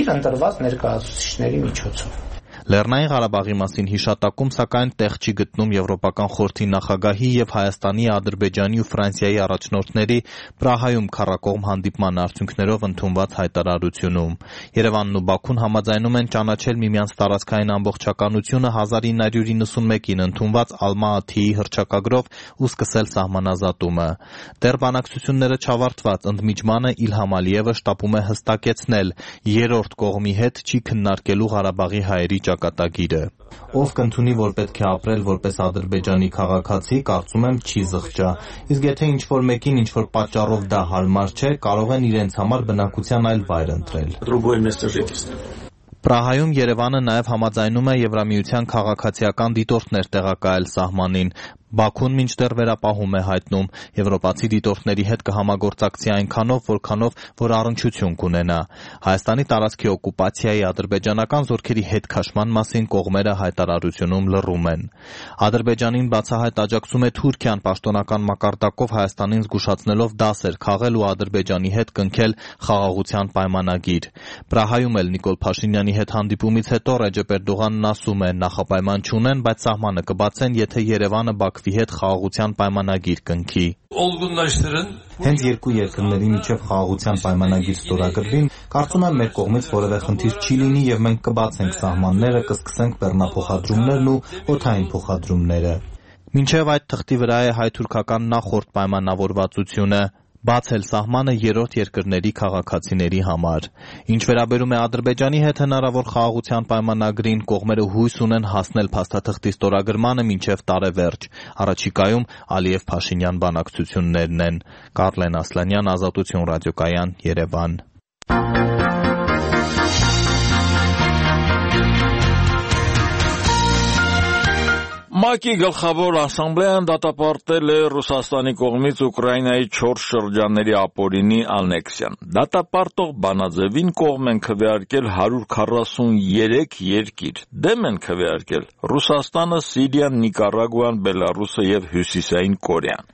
իր ընտրված ներկայացուցիչների միջոցով։ Լեռնային Ղարաբաղի մասին հիշատակում, սակայն տեղ չի գտնում Եվրոպական խորհրդի նախագահի եւ Հայաստանի, Ադրբեջանի ու Ֆրանսիայի առաջնորդների Պրահայում քառակողմ հանդիպման արդյունքներով ընդունված հայտարարությունում։ Երևանն ու Բաքուն համաձայնում են ճանաչել միմյանց տարածքային ամբողջականությունը 1991-ին ընդունված Ալմա-Աթիի հռչակագրով ու սկսել սահմանազատումը։ Դեռ բանակցությունները չավարտված ընդմիջմանը Իլհամ Ալիևը շտապում է հստակեցնել՝ երրորդ կողմի հետ չի քննարկելու Ղարաբաղի հայերի ճակատագիրը։ Ով կընդունի, որ պետք է ապրել որպես Ադրբեջանի քաղաքացի, կարծում եմ չի զղջա։ Իսկ եթե ինչ-որ մեկին ինչ-որ պատճառով դա հարմար չէ, կարող են իրենց համար բնակության այլ վայր ընտրել։ Պրահայում Երևանը նաև համաձայնում է Եվրամիության քաղաքացիական դիտորդներ տեղակայել սահմանին։ Բաքուն մինչդեռ վերապահում է հայտնում, եվրոպացի դիտորդների հետ կհամագործակցի այնքանով, որքանով որ առնչություն կունենա։ Հայաստանի տարածքի օկուպացիայի ադրբեջանական զորքերի հետ քաշման մասին կողմերը հայտարարությունում լռում են։ Ադրբեջանին բացահայտ աջակցում է Թուրքիան, պաշտոնական մակարդակով Հայաստանին զգուշացնելով դասեր քաղել ու Ադրբեջանի հետ կնքել խաղաղության պայմանագիր։ Պրահայում էլ Նիկոլ Փաշինյանի հետ հանդիպումից հետո Ռեջեփ Էրդողանն ասում է՝ նախապայման չունեն, բայց սահմանը կբացեն, եթե Երևանը Բաքվի հետ խաղաղության պայմանագիր կնքի։ Հենց երկու երկրների միջև խաղաղության պայմանագիր ստորագրվին, կարծում եմ մեր կողմից որևէ խնդիր չի լինի եւ մենք կբացենք սահմանները, կսկսենք բեռնափոխադրումներն ու օդային փոխադրումները։ Մինչև այդ թղթի վրա է հայ-թուրքական նախորդ պայմանավորվածությունը բացել սահմանը երրորդ երկրների քաղաքացիների համար։ Ինչ վերաբերում է Ադրբեջանի հետ հնարավոր խաղաղության պայմանագրին, կողմերը հույս ունեն հասնել փաստաթղթի ստորագրմանը մինչև տարեվերջ։ Առաջիկայում Ալիև-Փաշինյան բանակցություններն են։ Կարլեն Ասլանյան, Ազատություն ռադիոկայան, Երևան։ ՄԱԿ-ի գլխավոր ասամբլեան դատապարտել է Ռուսաստանի կողմից Ուկրաինայի 4 շրջանների ապօրինի անեքսիան։ Դատապարտող բանաձևին կողմ են քվեարկել 143 երկիր, դեմ են քվեարկել Ռուսաստանը, Սիրիան, Նիկարագուան, Բելարուսը եւ Հյուսիսային Կորեան։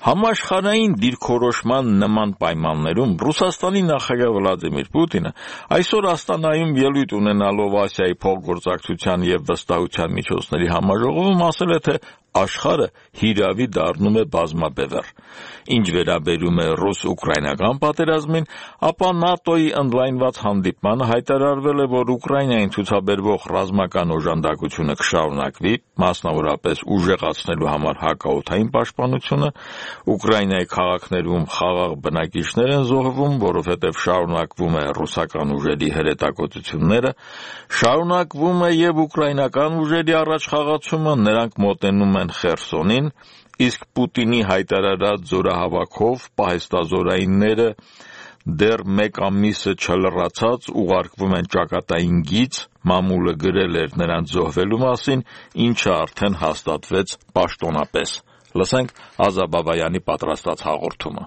Համաշխարհային դիրքորոշման նման պայմաններում Ռուսաստանի նախագահ Վլադիմիր Պուտինը այսօր Աստանայում ելույթ ունենալով Ասիայի փոխգործակցության եւ վստահության միջոցների համաժողովում ասել է, թե աշխարհը հիրավի դառնում է բազմաբևեռ։ Ինչ վերաբերում է ռուս-ուկրաինական պատերազմին, ապա ՆԱՏՕ-ի ընդլայնված հանդիպմանը հայտարարվել է, որ Ուկրաինային ցուցաբերվող ռազմական օժանդակությունը կշարունակվի, մասնավորապես ուժեղացնելու համար հակաօդային պաշտպանությունը, Ուկրաինայի քաղաքներում խաղաղ բնակիչներ են զոհվում, որովհետև շարունակվում է ռուսական ուժերի հրետակոծությունները, շարունակվում է եւ ուկրաինական ուժերի առաջխաղացումը, նրանք մոտենում են Խերսոնին, իսկ Պուտինի հայտարարած զորահավաքով պահեստազորայինները դեռ մեկ ամիսը չլրացած ուղարկվում են ճակատային գիծ, մամուլը գրել էր նրանց զոհվելու մասին, ինչը արդեն հաստատվեց պաշտոնապես։ Լսենք Ազաբավայանի պատրաստած հաղորդումը։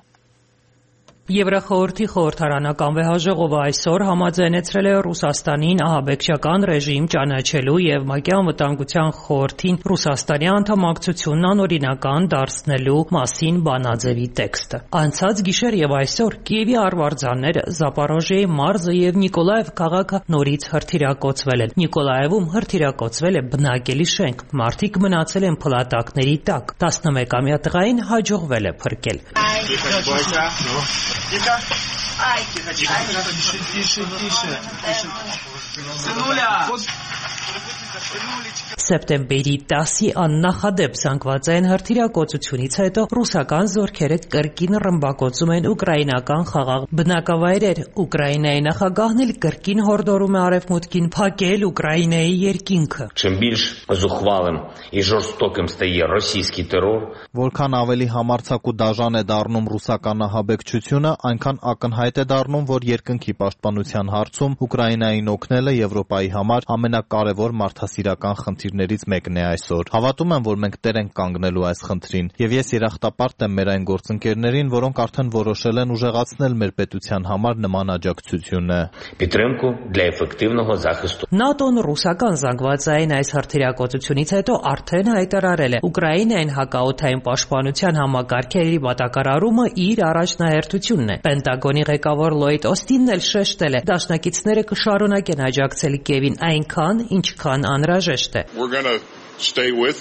Եվրախորհրդի խորհրդարանական վեհաժողովը այսօր համաձայնեցրել է Ռուսաստանին ահաբեկչական ռեժիմ ճանաչելու եւ ՄԱԿ-ի անվտանգության խորհրդին Ռուսաստանի անդամակցությունն անօրինական դարձնելու մասին բանաձևի տեքստը։ Անցած գիշեր եւ այսօր Կիևի արվարձանները, Զապորոժիեի մարզը եւ Նիկոլաև քաղաքը նորից հրթիռակոծվել են։ Նիկոլաևում հրթիռակոծվել է բնակելի շենք, մարդիկ մնացել են փլատակների տակ։ 11-ամյա տղային հաջողվել է փրկել։ Тихо. Ай, тише. Сынуля. Սեպտեմբերի 10-ի աննախադեպ զանգվածային հրթիռակոծությունից հետո ռուսական զորքերը կրկին ռմբակոծում են ուկրաինական խաղաղ բնակավայրեր։ Ուկրաինայի նախագահն էլ կրկին հորդորում է արևմուտքին փակել Ուկրաինայի երկինքը։ Чим більш зухвалим і жорстоким стає російський терор, որքան ավելի համարձակ ու դաժան է դառնում ռուսական ահաբեկչությունը, այնքան ակնհայտ է դառնում, որ երկնքի պաշտպանության հարցում Ուկրաինային օգնելը Եվրոպայի համար ամենակարևոր մարդասիրական խնդիրներից մեկն է այսօր։ Հավատում եմ, որ մենք տեր ենք կանգնելու այս խնդրին, եւ ես երախտապարտ եմ մեր այն գործընկերներին, որոնք արդեն որոշել են ուժեղացնել մեր պետության համար նման աջակցությունը։ Підтримку для ефективного захисту։ ՆԱՏՕ-ն ռուսական զանգվածային այս հրթիռակոծությունից հետո արդեն հայտարարել է Ուկրաինային հակաօդային պաշտպանության համակարգերի մատակարարումը իր առաջնահերթությունն է։ Պենտագոնի ղեկավար Լոյդ Օստինն էլ շեշտել է, դաշնակիցները կշարունակեն աջակցել Կիևին այնքան, ինչքան անհրաժեշտ է։ We're going to stay with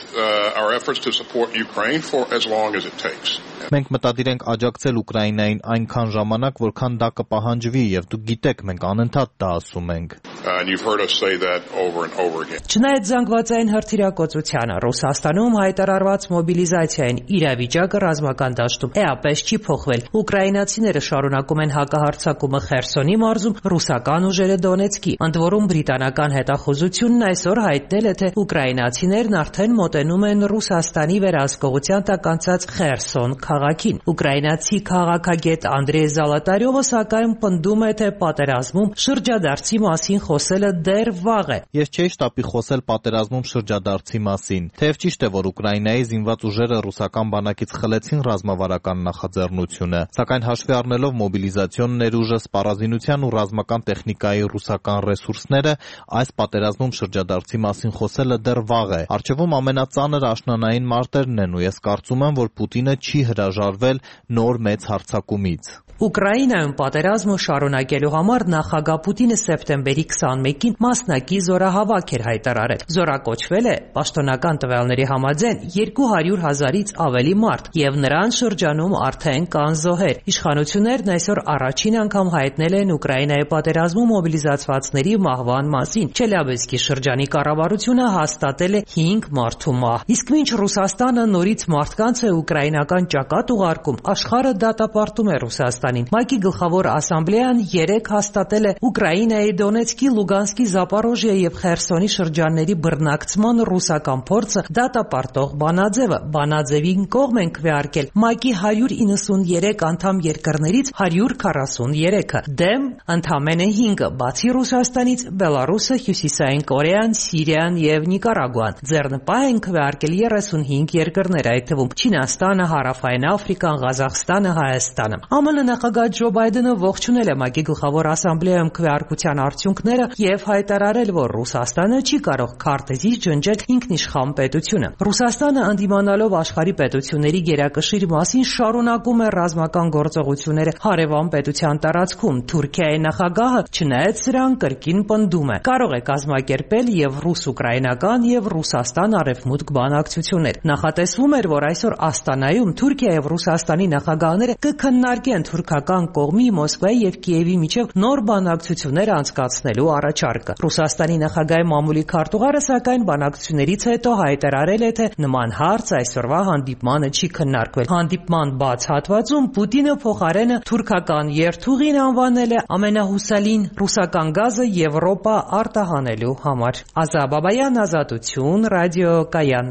our efforts to support Ukraine for as long as it takes. Մենք մտադիր ենք աջակցել Ուկրաինային այնքան ժամանակ, որքան դա կպահանջվի, եւ դուք գիտեք, մենք անընդհատ դա ասում ենք։ And you've heard us say that over and over again. Չնայած զանգվածային հրթիռակոծությանը, Ռուսաստանում հայտարարված մոբիլիզացիային իրավիճակը ռազմական դաշտում էապես չի փոխվել։ Ուկրաինացիները շարունակում են հակահարձակումը Խերսոնի մարզում, ռուսական ուժերը Դոնեցկի։ Ընդ որում բրիտանական հետախուզությունն այսօր հայտնել է, թե ուկրաինացիներն արդեն մոտենում են Ռուսաստանի վերահսկողության տակ անցած Խերսոն քաղաքին։ Ուկրաինացի քաղաքագետ Անդրեյ Զալատարյովը սակայն պնդում է, թե պատերազմում շրջադարձի մասին խոսելը դեռ վաղ է։ Ես չէի շտապի խոսել պատերազմում շրջադարձի մասին։ Թեև ճիշտ է, որ Ուկրաինայի զինված ուժերը ռուսական բանակից խլեցին ռազմավարական նախաձեռնությունը, սակայն հաշվի առնելով մոբիլիզացիոն ներուժը, սպառազինության ու ռազմական տեխնիկայի ռուսական ռեսուրսները, այս պատերազմում շրջադարձի մասին խոսելը դեռ վաղ է։ Առջևում ամենածանր աշնանային մարտերն են, ու ես կարծում եմ, որ Պուտինը չի հրաժարվել նոր մեծ հարձակումից։ Ուկրաինայում պատերազմը շարունակելու համար նախագահ Պուտինը սեպտեմբերի 21-ին մասնակի զորահավաք էր հայտարարել։ Զորակոչվել է պաշտոնական տվյալների համաձայն 200,000-ից ավելի մարդ, եւ նրան շրջանում արդեն կան զոհեր։ Իշխանություններն այսօր առաջին անգամ հայտնել են Ուկրաինայի պատերազմում մոբիլիզացվածների մահվան մասին։ Չելյաբինսկի շրջանի կառավարությունը հաստատել է 5 մարդու մահ։ Իսկ մինչ Ռուսաստանը նորից մարդկանց է ուկրաինական ճակատ ուղարկում, աշխարհը դատապարտում է Ռուսաստանին։ ՄԱԿ-ի գլխավոր ասամբլեան 3 հաստատել է Ուկրաինայի Դոնեցկի, Լուգանսկի, Զապորոժիեի եւ Խերսոնի շրջանների բռնակցման ռուսական փորձը դատապարտող բանաձևը։ Բանաձևին կողմ են քվեարկել ՄԱԿ-ի 193 անդամ երկրներից 143-ը, դեմ ընդամենը 5-ը, բացի Ռուսաստանից Բելարուսը, Հյուսիսային Կորեան, Սիրիան եւ Նիկարագուան։ Ձեռնպահ են քվեարկել 35 երկրներ, այդ թվում Չինաստանը, Հարավային Աֆրիկան, Ղազախստանը, Հայաստանը։ ԱՄՆ նախագահ Ջո Բայդենը ողջունել է ՄԱԿ-ի գլխավոր ասամբլեայում քվեարկության արդյունքները եւ հայտարարել, որ Ռուսաստանը չի կարող քարտեզից ջնջել ինքնիշխան պետությունը։ Ռուսաստանը ընդդիմանալով աշխարհի պետությունների գերակշիռ մասին շարունակում է ռազմական գործողությունները հարևան պետության տարածքում։ Թուրքիայի նախագահը, չնայած սրան, կրկին պնդում է, կարող է կազմակերպել եւ ռուս-ուկրաինական եւ ռուս Ռուսաստան-Արևմուտք բանակցություններ։ Նախատեսվում էր, որ այսօր Աստանայում Թուրքիա եւ Ռուսաստանի նախագահները կքննարկեն թուրքական կողմի Մոսկվայի եւ Կիևի միջև նոր բանակցություններ անցկացնելու առաջարկը։ Ռուսաստանի նախագահի մամուլի քարտուղարը սակայն բանակցություններից հետո հայտարարել է, թե նման հարց այսօրվա հանդիպմանը չի քննարկվել։ Հանդիպման բաց հատվածում Պուտինը փոխարենը թուրքական երթուղին անվանել է ամենահուսալին ռուսական գազը Եվրոպա արտահանելու համար։ Ազա Բաբայան, Ազատություն, Ռադիո Կայան։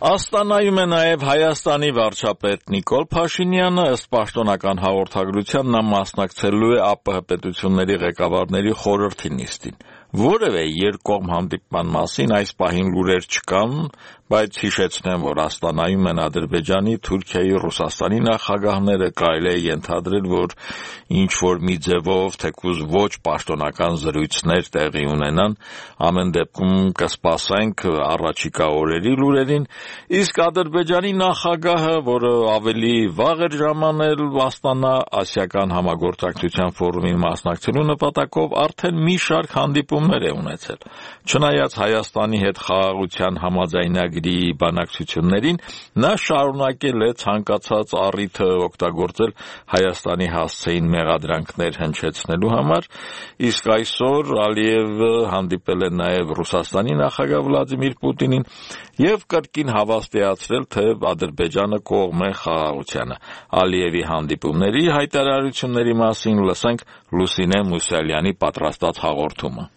Աստանայում է նաև Հայաստանի վարչապետ Նիկոլ Փաշինյանը, ըստ պաշտոնական հաղորդագրության նա մասնակցելու է ԱՊՀ պետությունների ղեկավարների խորհրդի նիստին։ Որևէ երկկողմ հանդիպման մասին այս պահին լուրեր չկան, բայց հիշեցնեմ, որ Աստանայում են Ադրբեջանի, Թուրքիայի, Ռուսաստանի նախագահները, կարելի է ենթադրել, որ ինչ-որ մի ձևով թեկուզ ոչ պաշտոնական զրույցներ տեղի ունենան, ամեն դեպքում կսպասենք առաջիկա օրերի լուրերին, իսկ Ադրբեջանի նախագահը, որը ավելի վաղ էր ժամանել Աստանա ասիական համագործակցության ֆորումին մասնակցելու նպատակով, արդեն մի շարք հանդիպումներ է ունեցել։ Չնայած Հայաստանի հետ խաղաղության համաձայնագրի բանակցություններին, նա շարունակել է ցանկացած առիթը օգտագործել Հայաստանի հասցեին մեղադրանքներ հնչեցնելու համար, իսկ այսօր Ալիևը հանդիպել է նաև Ռուսաստանի նախագահ Վլադիմիր Պուտինին եւ կրկին հավաստիացրել, թե Ադրբեջանը կողմ է խաղաղությանը։ Ալիևի հանդիպումների հայտարարությունների մասին լսենք Լուսինե Մուսալյանի պատրաստած հաղորդումը։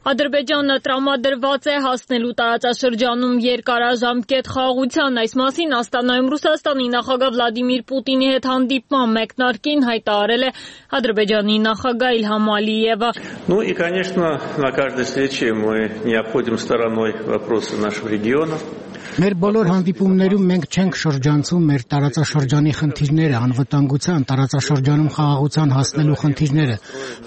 Ադրբեջանը տրամադրված է հասնելու տարածաշրջանում երկարաժամկետ խաղաղության։ Այս մասին Աստանայում Ռուսաստանի նախագահ Վլադիմիր Պուտինի հետ հանդիպման մեկնարկին հայտարարել է Ադրբեջանի նախագահ Իլհամ Ալիևը։ Ну и, конечно, на каждой встрече мы не обходим стороной вопросы нашего региона. Մեր բոլոր հանդիպումներում մենք չենք շրջանցում մեր տարածաշրջանի խնդիրները, անվտանգության, տարածաշրջանում խաղաղության հասնելու խնդիրները։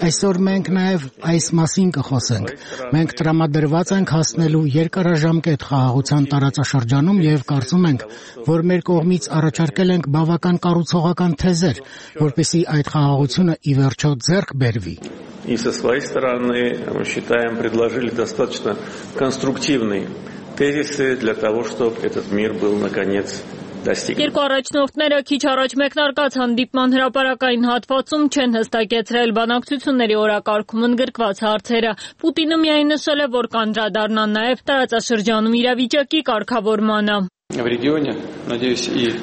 Այսօր մենք նաև այս մասին կխոսենք։ Մենք տրամադրված ենք հասնելու երկարաժամկետ խաղաղության տարածաշրջանում եւ կարծում ենք, որ մեր կողմից առաջարկել ենք բավական կառուցողական թեզեր, որպեսզի այդ խաղաղությունը ի վերջո ձեռք բերվի։ И со своей стороны, мы считаем, предложили достаточно конструктивный тезисы для того, чтобы этот мир был, наконец, достигнут. Երկու առաջնորդները քիչ առաջ մեկնարկած հանդիպման հրապարակային հատվածում չեն հստակեցրել բանակցությունների օրակարգում ընդգրկված հարցերը։ Պուտինը միայն նշել է, որ կանդրադառնա նաև տարածաշրջանում իրավիճակի կարգավորմանը։ В регионе, надеюсь, и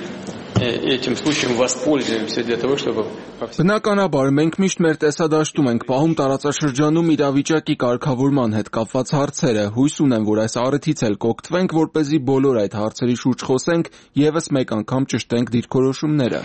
этим случаем воспользуемся для того, чтобы... Բնականաբար, մենք միշտ մեր տեսադաշտում ենք պահում տարածաշրջանում իրավիճակի կարգավորման հետ կապված հարցերը։ Հույս ունեմ, որ այս առիթից էլ կօգտվենք, որպեսզի բոլոր այդ հարցերի շուրջ խոսենք, ևս մեկ անգամ ճշտենք դիրքորոշումները։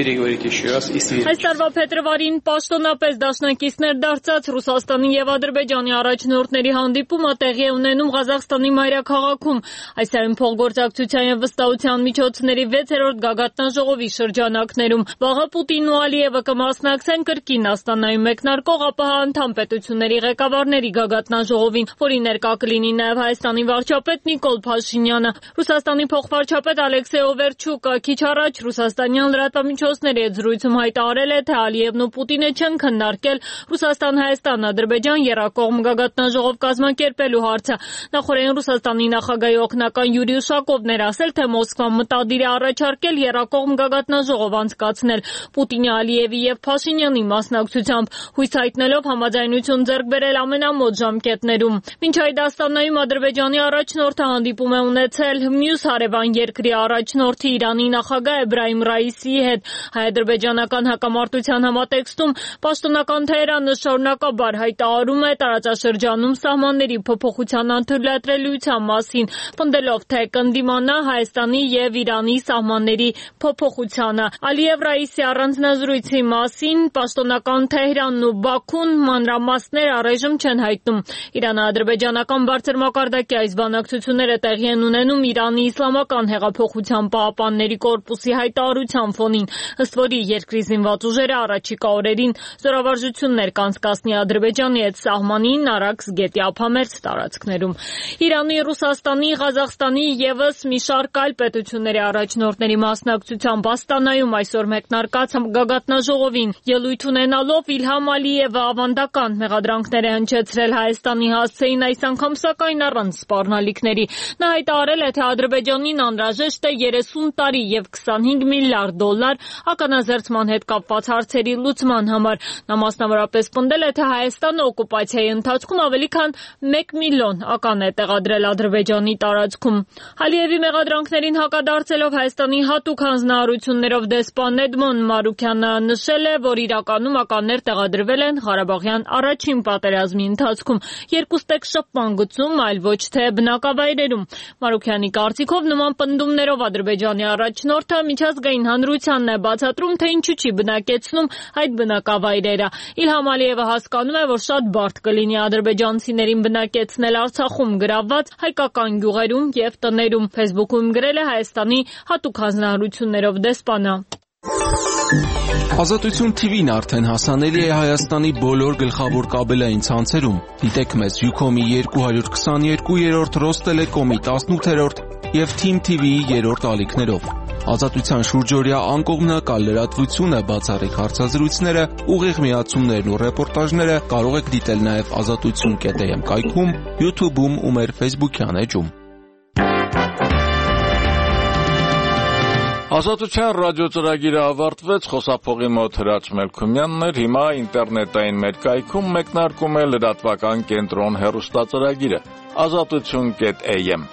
Այս տարվա փետրվարին պաշտոնապես դաշնակիցներ դարձած Ռուսաստանի եւ Ադրբեջանի առաջնորդների հանդիպումը տեղի է ունենում Ղազախստանի մայրաքաղաքում։ Այսօր փոխգործակցության եւ վստահության միջոցների 6-րդ գագաթնաժողովի շրջանակներում վաղը Պուտինն ու Ալիևը կմասնակցեն կրկին Աստանայում մեկնարկող ԱՊՀ անդամ պետությունների ղեկավարների գագաթնաժողովին, որի ներկա կլինի նաև Հայաստանի վարչապետ Նիկոլ Փաշինյանը։ Ռուսաստանի փոխվարչապետ Ալեքսեյ Օվերչուկը քիչ առաջ ռուսաստանյան լրատվամիջոցների հետ զրույցում հայտարարել է, թե Ալիևն ու Պուտինը չեն քննարկել Ռուսաստան-Հայաստան-Ադրբեջան երկկողմ գագաթնաժողով կազմակերպելու հարցը։ Նախորդին Ռուսաստանի նախագահի օգնական Յուրի Ուշակովն էր ասել, թե Մոսկվան մտադիր է առաջարկել երկկողմ գագաթնաժողով անցկացնել Պուտինի, Ալիևի եւ Փաշինյանի մասնակցությամբ, հույս հայտնելով համաձայնություն ձեռք բերել ամենամոտ ժամկետներում։ Մինչ այդ Աստանայում Ադրբեջանի առաջնորդը հանդիպում է ունեցել մյուս հարևան երկրի առաջնորդի Իրանի նախագահ Էբրահիմ Ռայիսիի հետ։ Հայ-ադրբեջանական հակամարտության համատեքստում պաշտոնական Թեհրանը շարունակաբար հայտարարում է տարածաշրջանում սահմանների փոփոխության անդրադառնալիության մասին, պնդելով, թե կընդդիմանա Հայաստանի եւ Իրանի սահմանների փոփոխությանը։ Ալիև Ռայիսի առանձնազրույցի մասին պաշտոնական Թեհրանն ու Բաքուն մանրամասներ առայժմ չեն հայտնում։ Իրано-ադրբեջանական բարձր մակարդակի այս բանակցությունները տեղի են ունենում Իրանի իսլամական հեղափոխության պահապանների կորպուսի հայտարարության ֆոնին, ըստ որի երկրի զինված ուժերը առաջիկա օրերին զորավարժություններ կանցկացնի Ադրբեջանի հետ սահմանին Արաքս գետի ափամերձ տարածքներում։ Իրանի, Ռուսաստանի, Ղազախստանի եւս մի շարք այլ պետությունների առաջնորդների մասնակցությամբ Իրաքում Աստանայում այսօր մեկնարկած գագաթնաժողովին ելույթ ունենալով Իլհամ Ալիևը ավանդական մեղադրանքներ է հնչեցրել Հայաստանի հասցեին, այս անգամ սակայն առանց սպառնալիքների։ Նա հայտարարել է, թե Ադրբեջանին անհրաժեշտ է 30 տարի եւ 25 միլիարդ դոլար ականազերծման հետ կապված հարցերի լուծման համար։ Նա մասնավորապես պնդել է, թե Հայաստանը օկուպացիայի ընթացքում ավելի քան 1 միլիոն ական է տեղադրել Ադրբեջանի տարածքում։ Ալիևի մեղադրանքներին հակադարձելով Հայաստանի հատուկ հանձնարարություններով դեսպան Էդմոն Մարուքյանը նշել է, որ իրականում ականներ տեղադրվել են Ղարաբաղյան առաջին պատերազմի ընթացքում, երկուստեք շփման գծում, այլ ոչ թե բնակավայրերում։ Մարուքյանի կարծիքով նման պնդումներով Ադրբեջանի առաջնորդը միջազգային հանրությանն է բացատրում, թե ինչու չի բնակեցնում այդ բնակավայրերը։ Իլհամ Ալիևը հասկանում է, որ շատ բարդ կլինի ադրբեջանցիներին բնակեցնել Արցախում գրավված հայկական գյուղերում եւ տներում։ Facebook-ում գրել է Հայաստանի հատուկ հանձնարարություններով դեսպանը։ Ազատություն TV-ն արդեն հասանելի է Հայաստանի բոլոր գլխավոր կաբելային ցանցերում։ Դիտեք մեզ Ucom-ի 222-րդ, Ռոստելեկոմի 18-րդ եւ Team TV-ի 3-րդ ալիքներով։ Ազատության շուրջօրյա անկողմնակալ լրատվությունը, բացառիկ հարցազրույցները, ուղիղ միացումներն ու ռեպորտաժները կարող եք դիտել նաեւ azatutsun.am կայքում, YouTube-ում ու մեր Facebook-յան էջում։ Ազատության ռադիո ծրագիրը ավարտվեց, խոսափողի մոտ Հրաչ Մելքումյանն էր, հիմա ինտերնետային մեր կայքում մեկնարկում է լրատվական կենտրոն հեռուստածրագիրը, azatutsun.am